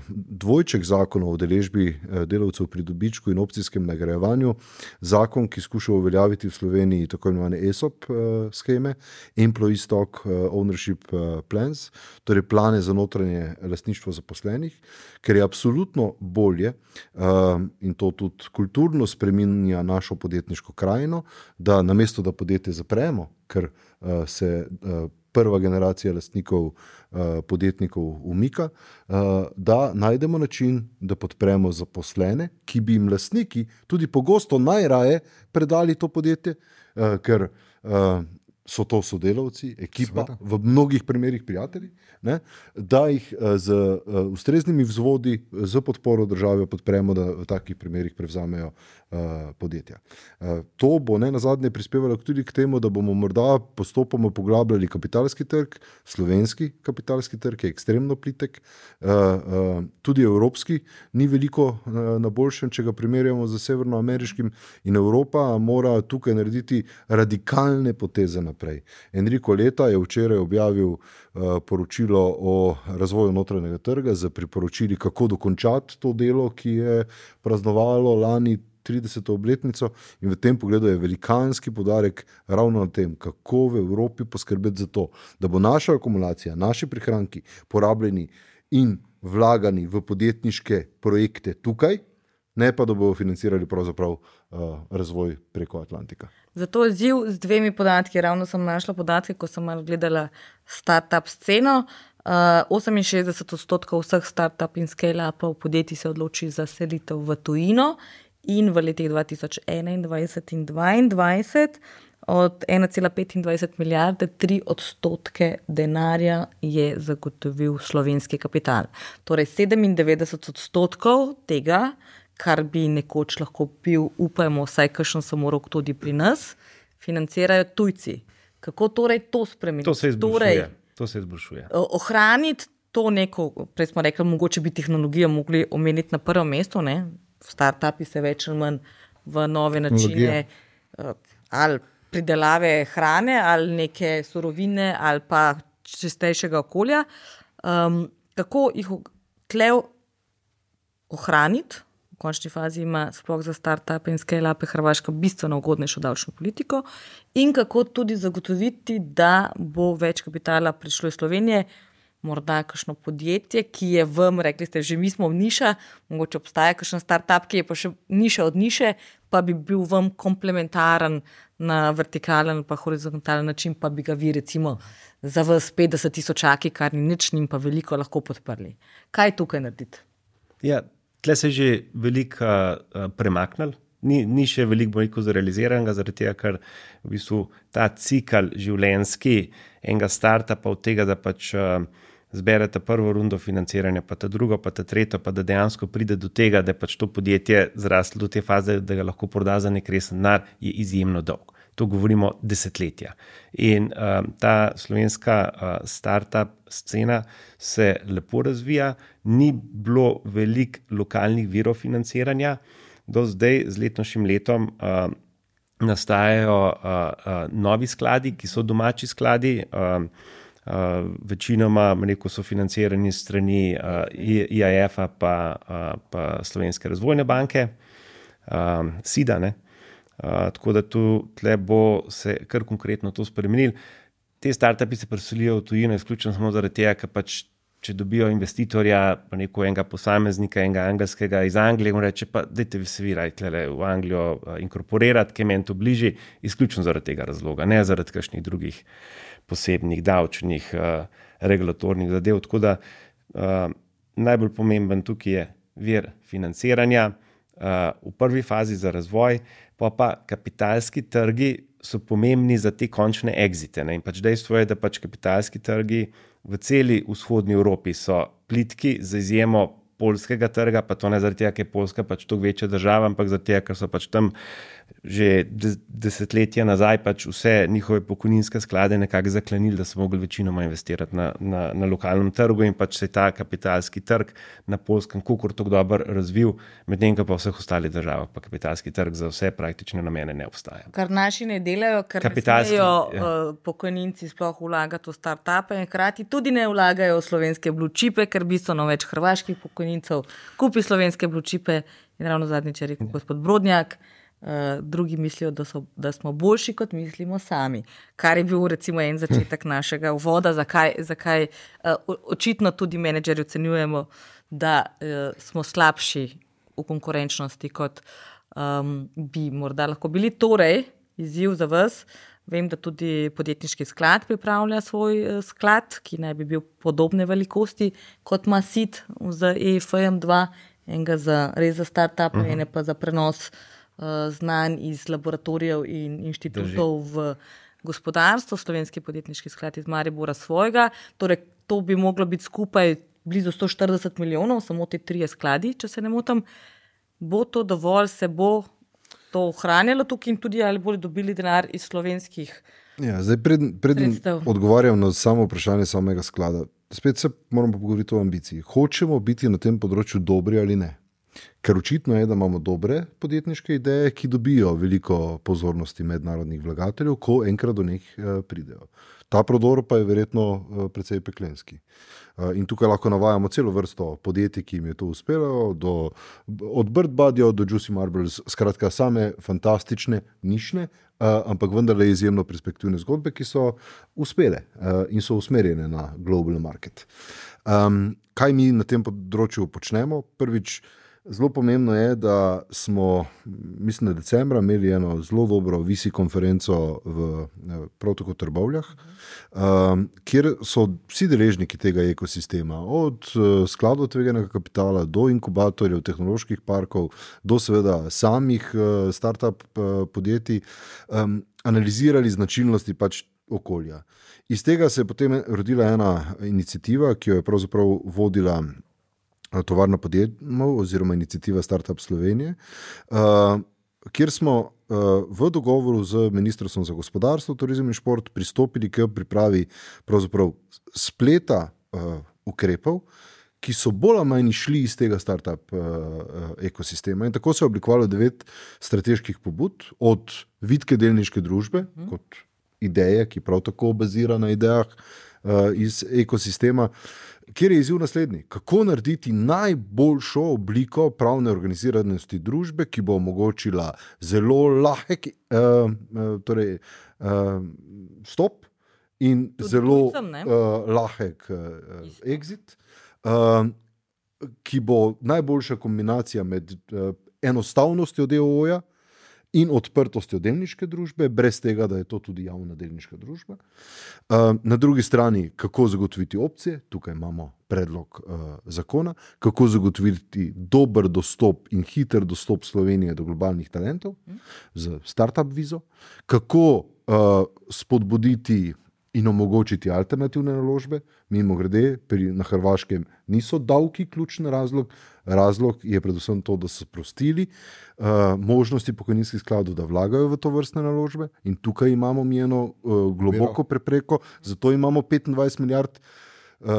dvojček zakona o udeležbi delavcev pri dobičku in opcijskem nagrajevanju zakon, ki skuša uveljaviti v Sloveniji tako imenovane ESOP sheme, Employee Stock Ownership Plans, torej plane za notranje lastništvo zaposlenih, ker je absolutno bolje in to tudi kulturno spreminja našo podjetniško krajino, da namesto da podjetje zapremo, ker se prva generacija lastnikov podjetnikov umika, da najdemo način, da podpremo zaposlene, ki bi jim lastniki tudi pogosto najraje predali to podjetje, ker so to sodelavci, ekipa, v mnogih primerih prijatelji, ne, da jih z ustreznimi vzvodi, z podporo države podpremo, da v takih primerih prevzamejo podjetja. To bo ne nazadnje prispevalo tudi k temu, da bomo morda postopoma poglabljali kapitalski trg, slovenski kapitalski trg je ekstremno plitek, tudi evropski ni veliko na boljšem, če ga primerjamo z severnoameriškim, in Evropa mora tukaj narediti radikalne poteze naprej. Enrico Letta je včeraj objavil poročilo o razvoju notranjega trga z priporočili, kako dokončati to delo, ki je praznovalo lani 30. obletnico, in v tem pogledu je velikanski poudarek ravno na tem, kako v Evropi poskrbeti za to, da bo naša akumulacija, naši prihranki porabljeni in vlagani v podjetniške projekte tukaj, ne pa da bodo financirali pravzaprav razvoj preko Atlantika. Zato je izziv z dvemi podatki. Ravno sem našla podatke, ko sem malo gledala startup sceno. 68% vseh startup in scale-upov podjetij se odloči za selitev v tujino, in v letih 2021 in 2022 od 1,25 milijarde 3% denarja je zagotovil slovenski kapital. Torej 97% tega, kar bi nekoč lahko bil, upajmo, vsaj kakšen se moral tudi pri nas, financirajo tujci. Kako torej to spremeniti? To se izboljšuje. Ohraniti to neko, prej smo rekli, mogoče bi tehnologijo mogli omeniti na prvo mesto, ne? Startupi se več ali manj v nove načine ali pridelave hrane ali neke surovine ali pa čistejšega okolja. Kako jih tle ohraniti? V končni fazi ima sploh za startupe in scale-upe Hrvaška bistveno ugodnejšo davčno politiko, in kako tudi zagotoviti, da bo več kapitala prišlo iz Slovenije, morda kakšno podjetje, ki je vam, rekli ste, že mi smo v niša, mogoče obstaja kakšen startup, ki je pa še niša od niše, pa bi bil vam komplementaren na vertikalen pa horizontalen način, pa bi ga vi recimo za vas 50.000, kar ni nič, njim pa veliko lahko podprli. Kaj tukaj narediti? Ja, tle se je že veliko premaknil. Ni še veliko zrealiziranega, zaradi tega, ker v bistvu ta cikl življenjski enega startupa od tega, da pač zberete prvo rundo financiranja, pa ta drugo, pa ta tretjo, pa da dejansko pride do tega, da je pač to podjetje zraslo do te faze, da ga lahko proda za nek resen denar, je izjemno dolg. To govorimo desetletja. In ta slovenska startup scena se lepo razvija, ni bilo veliko lokalnih virov financiranja. Do zdaj, z letošnjim letom, nastajajo novi skladi, ki so domači skladi, večinoma so financirani strani IAF-a pa Slovenske razvojne banke, SIDA, ne. Tako da tle bo se kar konkretno to spremenilo. Te startupi se preselijo v tujino izključno samo zaradi tega, ker pač če dobijo investitorja, pa enega posameznika, enega angelskega iz Anglije, on reče, pa dajte se vi v Anglijo inkorporirati, ki je meni to bližji, izključno zaradi tega razloga, ne zaradi kakšnih drugih posebnih davčnih, regulatornih zadev. Tako da najbolj pomemben tukaj je vir financiranja v prvi fazi za razvoj, pa kapitalski trgi so pomembni za te končne exite. Ne? In pač dejstvo je, da pač kapitalski trgi v celi vzhodni Evropi so plitki, z izjemo poljskega trga, pa to ne zaradi tega, ker je Poljska pač toliko večja država, ampak zaradi tega, ker so pač tam že desetletja nazaj pač vse njihove pokojninske sklade nekako zaklenili, da so mogli večinoma investirati na lokalnem trgu in pač se je ta kapitalski trg na Poljskem kakor tako dobro razvil, medtem ko pa v vseh ostalih državah pa kapitalski trg za vse praktične namene ne obstaja. Kar naši ne delajo, ker ne smejo pokojninci sploh vlagati v start-upe in hkrati tudi ne vlagajo v slovenske blue chipe, ker bistveno več hrvaških pokojnincev kupi slovenske blue chipe in ravno zadnjič je rekel gospod Brodnjak, drugi mislijo, da smo boljši, kot mislimo sami. Kar je bil recimo en začetek našega uvoda, zakaj očitno tudi menedžerji ocenjujemo, da smo slabši v konkurenčnosti, kot bi morda lahko bili. Torej, izziv za vas, vem, da tudi podjetniški sklad pripravlja svoj sklad, ki naj bi bil podobne velikosti, kot ima SID z EFM2, enega res za start-up, ene pa za prenos znanj iz laboratorijev in inštitutov v gospodarstvo. Slovenski podjetniški sklad iz Maribora svojega. Torej, to bi moglo biti skupaj blizu 140 milijonov, samo te 3 skladi, če se ne motim. Bo to dovolj, se bo to ohranjalo tukaj in tudi ali bodo dobili denar iz slovenskih zdaj preden odgovarjam na samo vprašanje samega sklada, spet se moramo pogovoriti o ambiciji. Hočemo biti na tem področju dobri ali ne? Ker očitno je, da imamo dobre podjetniške ideje, ki dobijo veliko pozornosti mednarodnih vlagateljev, ko enkrat do njih pridejo. Ta prodor pa je verjetno precej peklenski. In tukaj lahko navajamo celo vrsto podjetij, ki jim je to uspelo, od Bird Buddyja do Juicy Marbles, skratka same fantastične, nišne, ampak vendarle izjemno perspektivne zgodbe, ki so uspele in so usmerjene na global market. Kaj mi na tem področju počnemo? Prvič, zelo pomembno je, da smo, mislim, da decembra imeli eno zelo dobro VC konferenco prav tako v Trbovljah, kjer so vsi deležniki tega ekosistema, od skladov tveganega kapitala do inkubatorjev, tehnoloških parkov, do seveda samih startup podjetij, analizirali značilnosti pač okolja. Iz tega se je potem rodila ena iniciativa, ki jo je pravzaprav vodila Tovarna podjetnikov oziroma iniciativa Startup Slovenije, kjer smo v dogovoru z Ministrstvom za gospodarstvo, turizem in šport pristopili k pripravi pravzaprav spleta ukrepov, ki so bolj ali manj šli iz tega startup ekosistema. In tako se je oblikovalo 9 strateških pobud, od vitke delniške družbe, kot ideje, ki prav tako bazira na idejah iz ekosistema, kjer je izziv naslednji. Kako narediti najboljšo obliko pravne organiziranosti družbe, ki bo omogočila zelo lahek stop in tudi zelo lahek exit, ki bo najboljša kombinacija med enostavnostjo DOO-ja in odprtostjo delniške družbe, brez tega, da je to tudi javna delniška družba. Na drugi strani, kako zagotoviti opcije, tukaj imamo predlog zakona, kako zagotoviti dober dostop in hiter dostop Slovenije do globalnih talentov z startup vizo, kako spodbuditi in omogočiti alternativne naložbe. Mimogrede, na Hrvaškem niso davki ključni razlog. Razlog je predvsem to, da so sprostili možnosti pokojninskih skladov, da vlagajo v to vrstne naložbe, in tukaj imamo mi eno globoko prepreko, zato imamo 25 milijard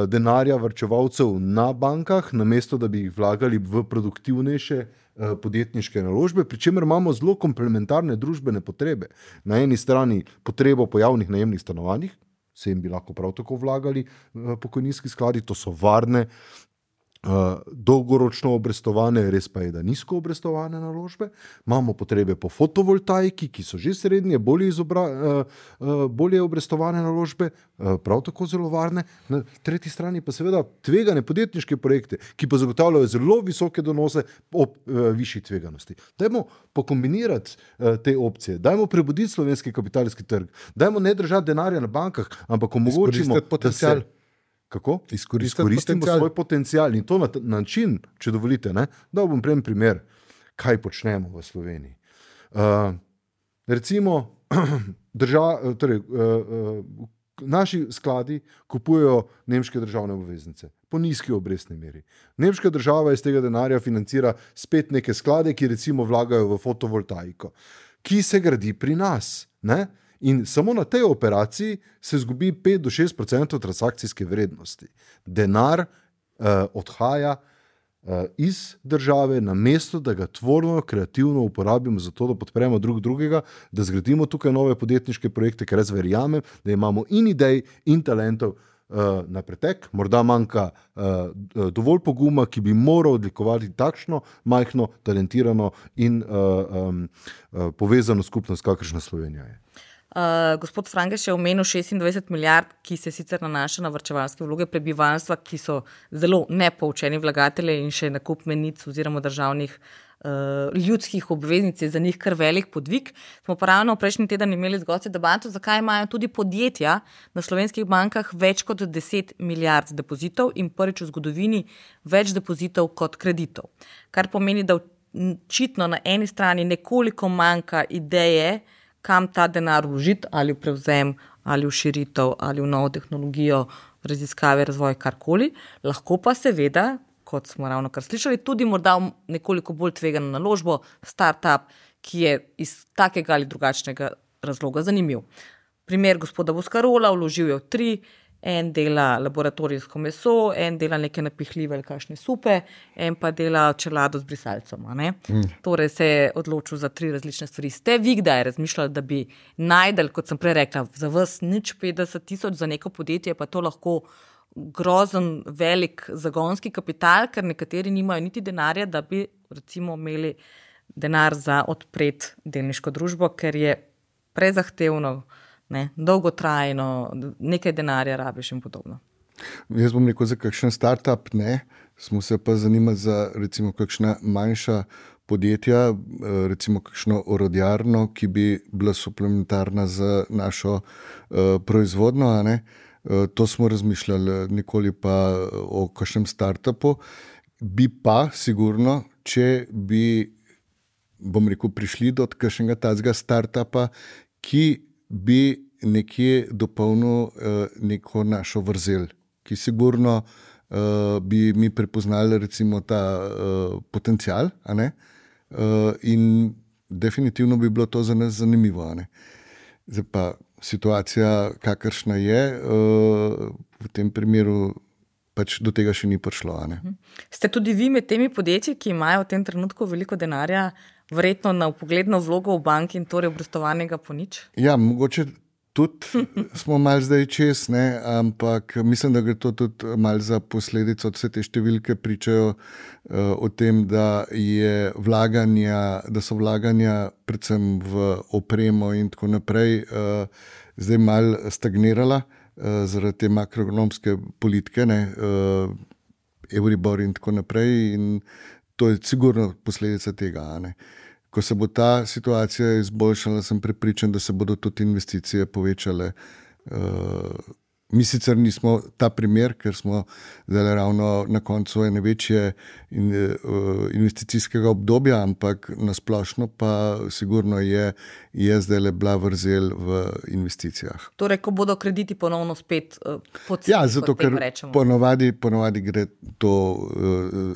denarja varčevalcev na bankah, namesto da bi jih vlagali v produktivnejše podjetniške naložbe, pri čemer imamo zelo komplementarne družbene potrebe. Na eni strani potrebo po javnih najemnih stanovanjih, se jim bi lahko prav tako vlagali pokojninski skladi, to so varne, dolgoročno obrestovane, res pa je, da nizko obrestovane naložbe. Imamo potrebe po fotovoltaiki, ki so že srednje, bolje obrestovane naložbe, prav tako zelo varne. Na tretji strani pa seveda tvegane podjetniške projekte, ki pa zagotavljajo zelo visoke donose ob višji tveganosti. Dajmo pokombinirati te opcije, dajmo prebuditi slovenski kapitalski trg, dajmo ne držati denarja na bankah, ampak omogočimo potencial. Kako? Izkoristimo svoj potencial in to na način, če dovolite, da bom primer, kaj počnemo v Sloveniji. Recimo, naši skladi kupujejo nemške državne obveznice po nizki obrestni meri. Nemška država iz tega denarja financira spet neke sklade, ki recimo vlagajo v fotovoltaiko, ki se gradi pri nas. Ne? In samo na tej operaciji se izgubi 5-6% transakcijske vrednosti. Denar odhaja iz države, namesto da ga tvorno, kreativno uporabimo za to, da podpremo drugega, da zgradimo tukaj nove podjetniške projekte, ker jaz verjamem, da imamo in idej in talentov na pretek. Morda manjka dovolj poguma, ki bi moral odlikovati takšno majhno, talentirano in povezano skupnost, kakršna Slovenija je. Gospod Frangež je omenil 26 milijard, ki se sicer nanaša na varčevalske vloge prebivalstva, ki so zelo nepoučeni vlagatelji in še nakup menic oziroma državnih ljudskih obveznic je za njih kar velik podvig. Smo pa ravno prejšnji teden imeli z gosti debato, zakaj imajo tudi podjetja na slovenskih bankah več kot 10 milijard depozitov in prvič v zgodovini več depozitov kot kreditov. Kar pomeni, da očitno na eni strani nekoliko manjka ideje, kam ta denar vložiti, ali v prevzem, ali v širitev, ali v novo tehnologijo, raziskave, razvoj, karkoli. Lahko pa seveda, kot smo ravno kar slišali, tudi morda nekoliko bolj tvegano naložbo, startup, ki je iz takega ali drugačnega razloga zanimiv. Primer gospoda Boscarola, vložil je v 3, en dela laboratorijsko meso, en dela neke napihljive ali kakšne supe, en pa dela čelado z brisalcem. Torej se je odločil za 3 različne stvari. Ste vi kdaj razmišljali, da bi najdel, kot sem prej rekla, za vas nič 50 000 za neko podjetje, pa to lahko grozen velik zagonski kapital, ker nekateri nimajo niti denarja, da bi recimo imeli denar za odpreti delniško družbo, ker je prezahtevno, dolgotrajno, nekaj denarja rabiš in podobno. Jaz bom rekel za kakšen startup, ne. Smo se pa zanimali za recimo kakšna manjša podjetja, recimo kakšno orodjarno, ki bi bila suplementarna za našo proizvodno, a ne. To smo razmišljali, nikoli pa o kakšnem startupu. Bi pa sigurno, če bi, bom rekel, prišli do kakšnega tazga startupa, ki bi nekje dopolnil neko našo vrzel, ki sigurno bi mi prepoznali recimo ta potencial, a ne? In definitivno bi bilo to za nas zanimivo. A ne? Zdaj pa situacija, kakršna je, v tem primeru pač do tega še ni prišlo. A ne? Ste tudi vi med temi podjetji, ki imajo v tem trenutku veliko denarja, verjetno na vpogledno vlogo v banki in torej obrestovanega po nič? Ja, mogoče tudi smo malo zdaj čez, ne, ampak mislim, da gre to tudi malo za posledico. Vse te številke pričajo o tem, da so vlaganja predvsem v opremo in tako naprej zdaj malo stagnirala zaradi te makroekonomske politike, ne, Euribor in tako naprej, in to je sigurno posledica tega. Ne. Ko se bo ta situacija izboljšala, sem prepričan, da se bodo tudi investicije povečale. Mi sicer nismo ta primer, ker smo zdaj ravno na koncu ene večje investicijskega obdobja, ampak nasplošno pa sigurno je zdaj bila vrzel v investicijah. Torej, ko bodo krediti ponovno spet poceni, ja, zato ker ponovadi gre to,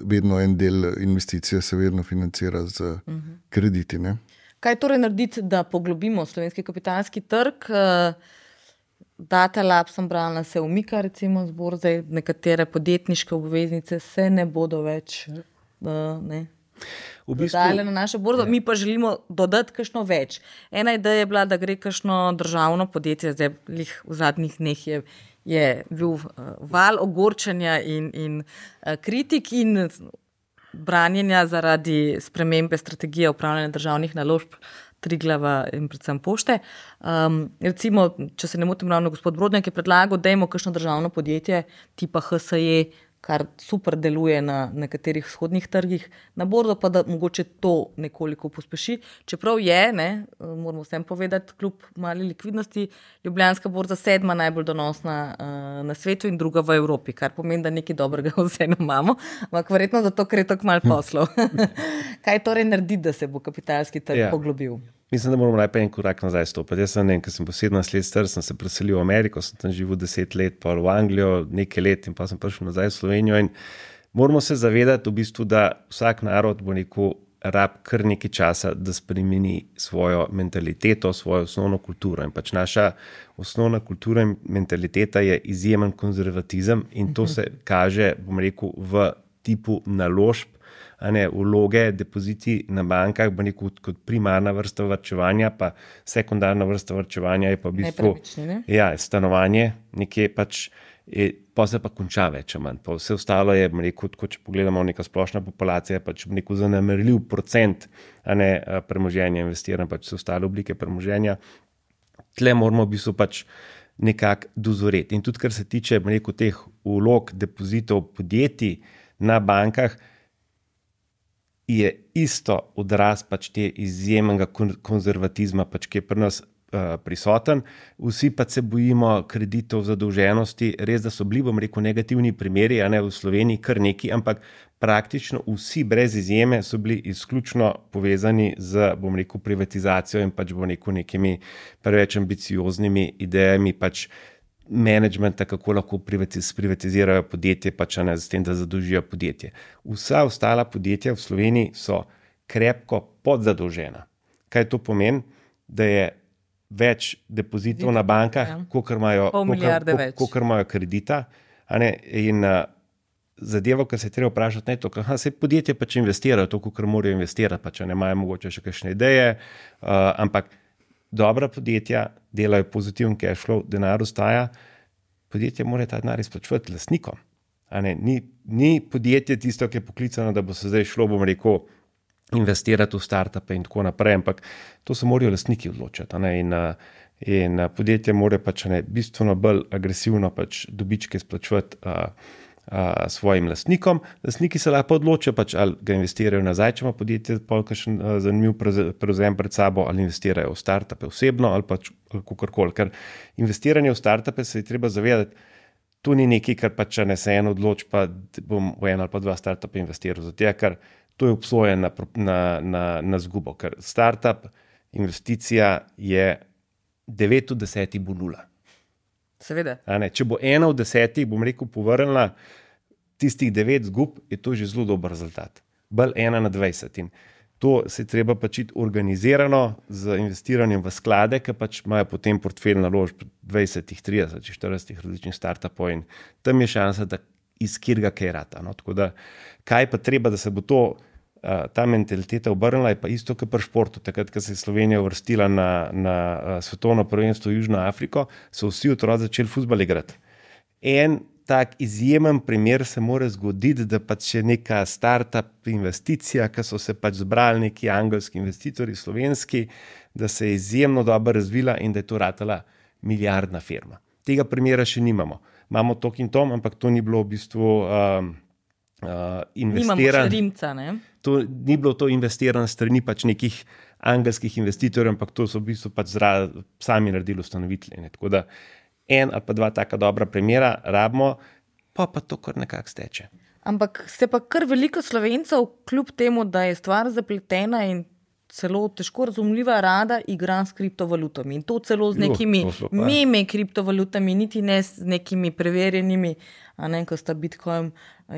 vedno en del investicije se vedno financira z krediti. Ne? Kaj torej narediti, da poglobimo slovenski kapitalski trg? Datalab sem brala, se umika recimo z borze, nekatere podjetniške obveznice se ne bodo več dodajale na našo borzo, mi pa želimo dodati kakšno več. Ena ideja je bila, da gre kakšno državno podjetje, zdaj v zadnjih dneh je bil val ogorčenja in kritik in branjenja zaradi spremembe strategije upravljanja državnih naložb Triglava in predvsem Pošte. Recimo, če se ne motim, ravno gospod Brodnjak je predlagal, da imamo kakšno državno podjetje tipa HSE, kar super deluje na nekaterih vzhodnih trgih, na borzo pa da mogoče to nekoliko pospeši. Čeprav je, moramo vsem povedati, kljub mali likvidnosti, Ljubljanska borza 7. najbolj donosna na svetu in druga v Evropi, kar pomeni, da nekaj dobrega vseeno imamo, ampak verjetno zato, ker je tako malo poslov. Kaj torej narediti, da se bo kapitalski trg poglobil? Mislim, da moramo najprej en korak nazaj stopiti. Jaz sem, ko sem po 17 let star, sem se preselil v Ameriko, sem tam živel 10 let, pa v Anglijo nekaj let in pa sem prišel nazaj v Slovenijo in moramo se zavedati v bistvu, da vsak narod bo rab kar nekaj časa, da spremeni svojo mentaliteto, svojo osnovno kulturo. In pač naša osnovna kultura in mentaliteta je izjemen konzervatizem in to se kaže, v tipu naložb, vloge, depoziti na bankah, kot primarna vrsta varčevanja, pa sekundarna vrsta varčevanja je pa v bistvu stanovanje, nekje pač pa se pa konča več, manj. Pa vse ostalo je, tako, če pogledamo neka splošna populacija, pač zanemarljiv procent premoženja investiran, pač vse ostale oblike premoženja. Tle moramo v bistvu pač nekako dozoreti. In tudi, kar se tiče teh vlog, depozitov podjetij na bankah, je isto odraz pač te izjemnega konzervatizma, pač, ki je pri nas prisoten. Vsi pa se bojimo kreditov, zadolženosti, res da so bili, negativni primeri, v Sloveniji kar neki, ampak praktično vsi brez izjeme so bili izključno povezani z, privatizacijo in pač, nekimi preveč ambicioznimi idejami pač menedžmenta, kako lahko privatizirajo podjetje, pač s tem, da zadolžijo podjetje. Vsa ostala podjetja v Sloveniji so krepko podzadolžena. Kaj to pomeni? Da je več depozitov na bankah, kolikor imajo kredita. In zadeva, kar se je treba vprašati, se podjetje pač investirajo to, kolikor morajo investirati, pač imajo mogoče še kakšne ideje, ampak dobra podjetja delajo pozitiven cash flow, denar ostaja, podjetje mora ta denar izplačevati lastnikom. Ni podjetje tisto, ki je poklicano, da bo se zdaj šlo, investirati v startupe in tako naprej, ampak to se morajo lastniki odločiti. In podjetje mora pač bistveno bolj agresivno pač dobičke izplačevati svojim lastnikom. Lastniki se lahko odločijo, pač, ali ga investirajo nazaj, če ima podjetje kakšen zanimiv prevzem pred sabo, ali investirajo v startupe osebno ali pač kakorkoli. Ker investiranje v startupe se je treba zavedati, to ni nekaj, kar pač se en odloči, pa bom v en ali pa dva startupe investiral. Zato, ker to je obsojen na zgubo, ker startup investicija je 9 od 10 bo nula. Seveda. Če bo 1 od 10, povrnila tistih 9 zgub, je to že zelo dober rezultat. Bolj 1 na 20. In to se treba pač organizirano z investiranjem v sklade, ki pač imajo potem portfelj naložb 20, 30, 40 različnih startupov in tam je šansa, da iz kjerga kaj rata. Tako da, kaj pa treba, da se bo ta mentaliteta obrnila, je pa isto, kot pri športu. Takrat, ko se je Slovenija uvrstila na svetovno prvenstvo v Južno Afriko, so vsi otroci začeli fuzbal igrati. En tak izjemen primer se mora zgoditi, da pač je neka startup investicija, ki so se pač zbrali neki angelski investitorji, slovenski, da se je izjemno dobro razvila in da je to ratala milijardna firma. Tega primera še nimamo. Imamo tok in tom, ampak to ni bilo v bistvu investirano. Nimamo še Rimca, ne? To ni bilo to investirano strani pač nekih angelskih investitorjev, ampak to so v bistvu pač sami naredili ustanovitelji. Tako da en ali pa dva taka dobra primera rabimo, pa to kar nekako steče. Ampak se pa kar veliko Slovencev, kljub temu, da je stvar zapletena in celo težko razumljiva, rada igra s kriptovalutami. In to celo z nekimi meme kriptovalutami, niti ne z nekimi preverjenimi, ko sta Bitcoin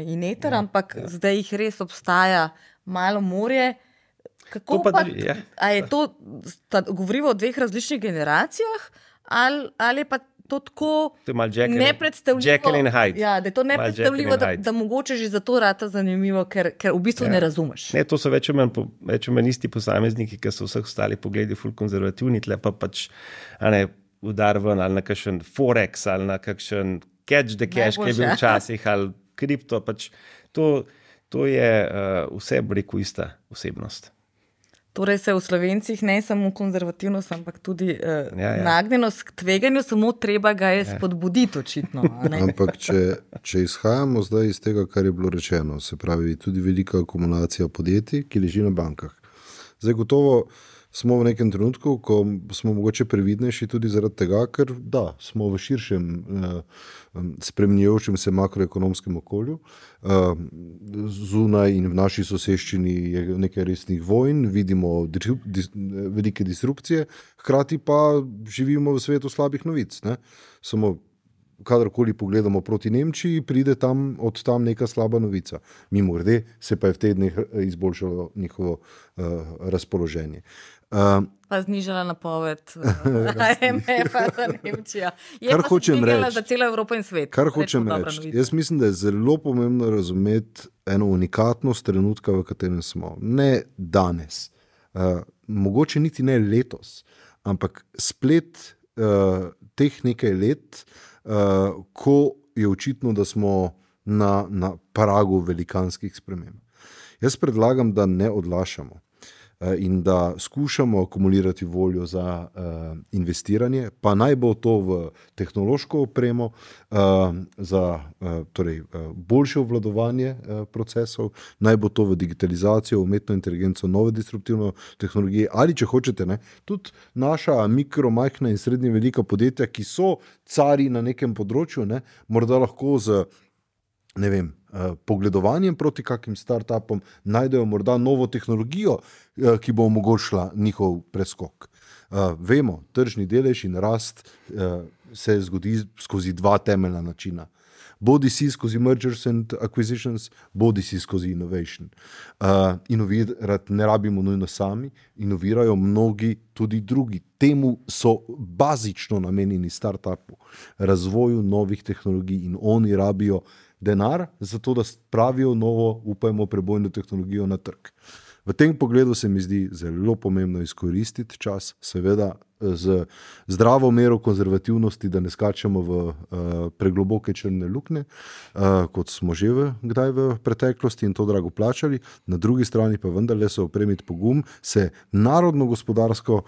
in Ether, ampak zdaj jih res obstaja malo morje. Kako pa, a je to, govorimo o dveh različnih generacijah, ali je pa to tako nepredstavljivo, da je to nepredstavljivo, da mogoče že zato rata zanimivo, ker v bistvu ne razumeš. Ne, to so več o manj isti posamezniki, ki so vseh ostali pogledi ful konzervativni, tle pa pač udar ven ali na kakšen Forex ali na kakšen catch the cash, ki je bil včasih, ali kripto, pač to je vse, ista osebnost. Torej se v Slovencih ne samo konzervativnost, ampak tudi nagnjenost k tveganju, samo treba ga je spodbuditi očitno. Ampak če izhajamo zdaj iz tega, kar je bilo rečeno, se pravi tudi velika akumulacija podjetij, ki leži na bankah. Zdaj gotovo smo v nekem trenutku, ko smo mogoče previdnejši tudi zaradi tega, ker da, smo v širšem spremenjajočem se makroekonomskem okolju. Zunaj in v naši soseščini je nekaj resnih vojn, vidimo velike disrupcije, hkrati pa živimo v svetu slabih novic. Ne? Samo kadarkoli pogledamo proti Nemčiji, pride od tam neka slaba novica. Mimogrede se pa je v teh dneh izboljšalo njihovo razpoloženje. Pa znižala napoved IMF-a za Nemčijo. Je kar pa hočem znižala reči, za celo Evropo in svet. Kar hočem reči, jaz mislim, da je zelo pomembno razumeti eno unikatnost trenutka, v katerem smo. Ne danes, mogoče niti ne letos, ampak splet teh nekaj let, ko je očitno, da smo na pragu velikanskih sprememb. Jaz predlagam, da ne odlašamo in da skušamo akumulirati voljo za investiranje, pa naj bo to v tehnološko opremo, za boljše obvladovanje procesov, naj bo to v digitalizacijo, umetno inteligenco, nove disruptivne tehnologije ali, če hočete, ne, tudi naša mikro, majhna in srednje velika podjetja, ki so cari na nekem področju, ne, morda lahko z pogledovanjem proti kakim startupom najdejo morda novo tehnologijo, ki bo omogočila njihov preskok. Vemo, tržni delež in rast se zgodi skozi dva temeljna načina. Bodi si skozi mergers and acquisitions, bodi si skozi innovation. Inovirati ne rabimo nujno sami, inovirajo mnogi tudi drugi. Temu so bazično namenjeni startupu, razvoju novih tehnologij in oni rabijo denar, zato da spravijo novo, upajmo, prebojno tehnologijo na trg. V tem pogledu se mi zdi zelo pomembno izkoristiti čas, seveda z zdravo mero konzervativnosti, da ne skačemo v pregloboke črne luknje, kot smo že kdaj v preteklosti in to drago plačali. Na drugi strani pa vendarle se opremiti pogum, se narodno-gospodarsko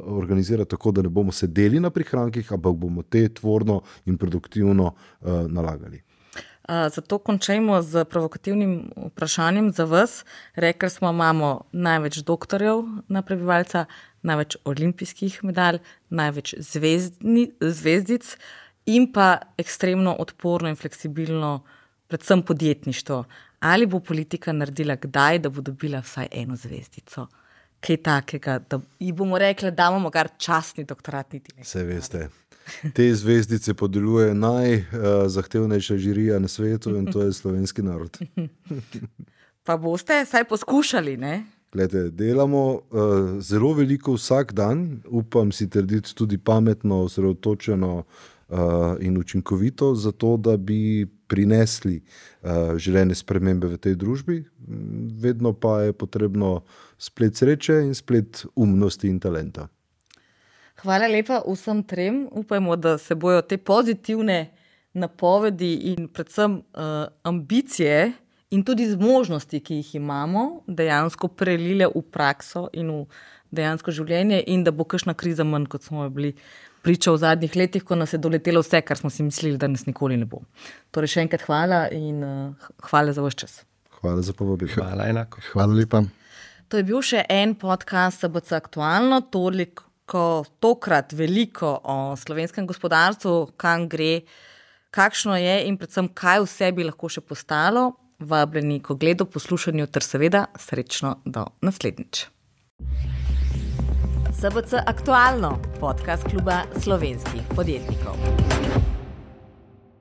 organizira tako, da ne bomo sedeli na prihrankih, ampak bomo te tvorno in produktivno nalagali. Zato končajmo z provokativnim vprašanjem za vas. Rekli smo, imamo največ doktorjev na prebivalca, največ olimpijskih medalj, največ zvezdic in pa ekstremno odporno in fleksibilno, predvsem podjetništvo. Ali bo politika naredila kdaj, da bo dobila vsaj eno zvezdico? Kaj takega, da ji bomo rekli, da imamo kar častni doktorat niti nekaj. Vse veste. Te zvezdice podeljuje najzahtevnejša žirija na svetu in to je slovenski narod. Pa boste vsaj poskušali, ne? Glede, delamo zelo veliko vsak dan, upam si trditi tudi pametno, osredotočeno in učinkovito, zato da bi prinesli želene spremembe v tej družbi. Vedno pa je potrebno splet sreče in splet umnosti in talenta. Hvala lepa vsem trem. Upajmo, da se bojo te pozitivne napovedi in predvsem ambicije in tudi zmožnosti, ki jih imamo, dejansko prelile v prakso in v dejansko življenje in da bo kakšna kriza manj, kot smo bili priča v zadnjih letih, ko nas je doletelo vse, kar smo si mislili, da nas nikoli ne bo. Torej še enkrat hvala in hvala za vaš čas. Hvala za povabilo. Hvala enako. Hvala lepa. To je bil še en podcast SBC Aktualno, tokrat veliko o slovenskem gospodarstvu, kam gre, kakšno je in predvsem kaj vse bi lahko še postalo. Vabljeni k ogledu, poslušanju ter seveda srečno do naslednjič. SBC Aktualno, podcast kluba slovenskih podjetnikov.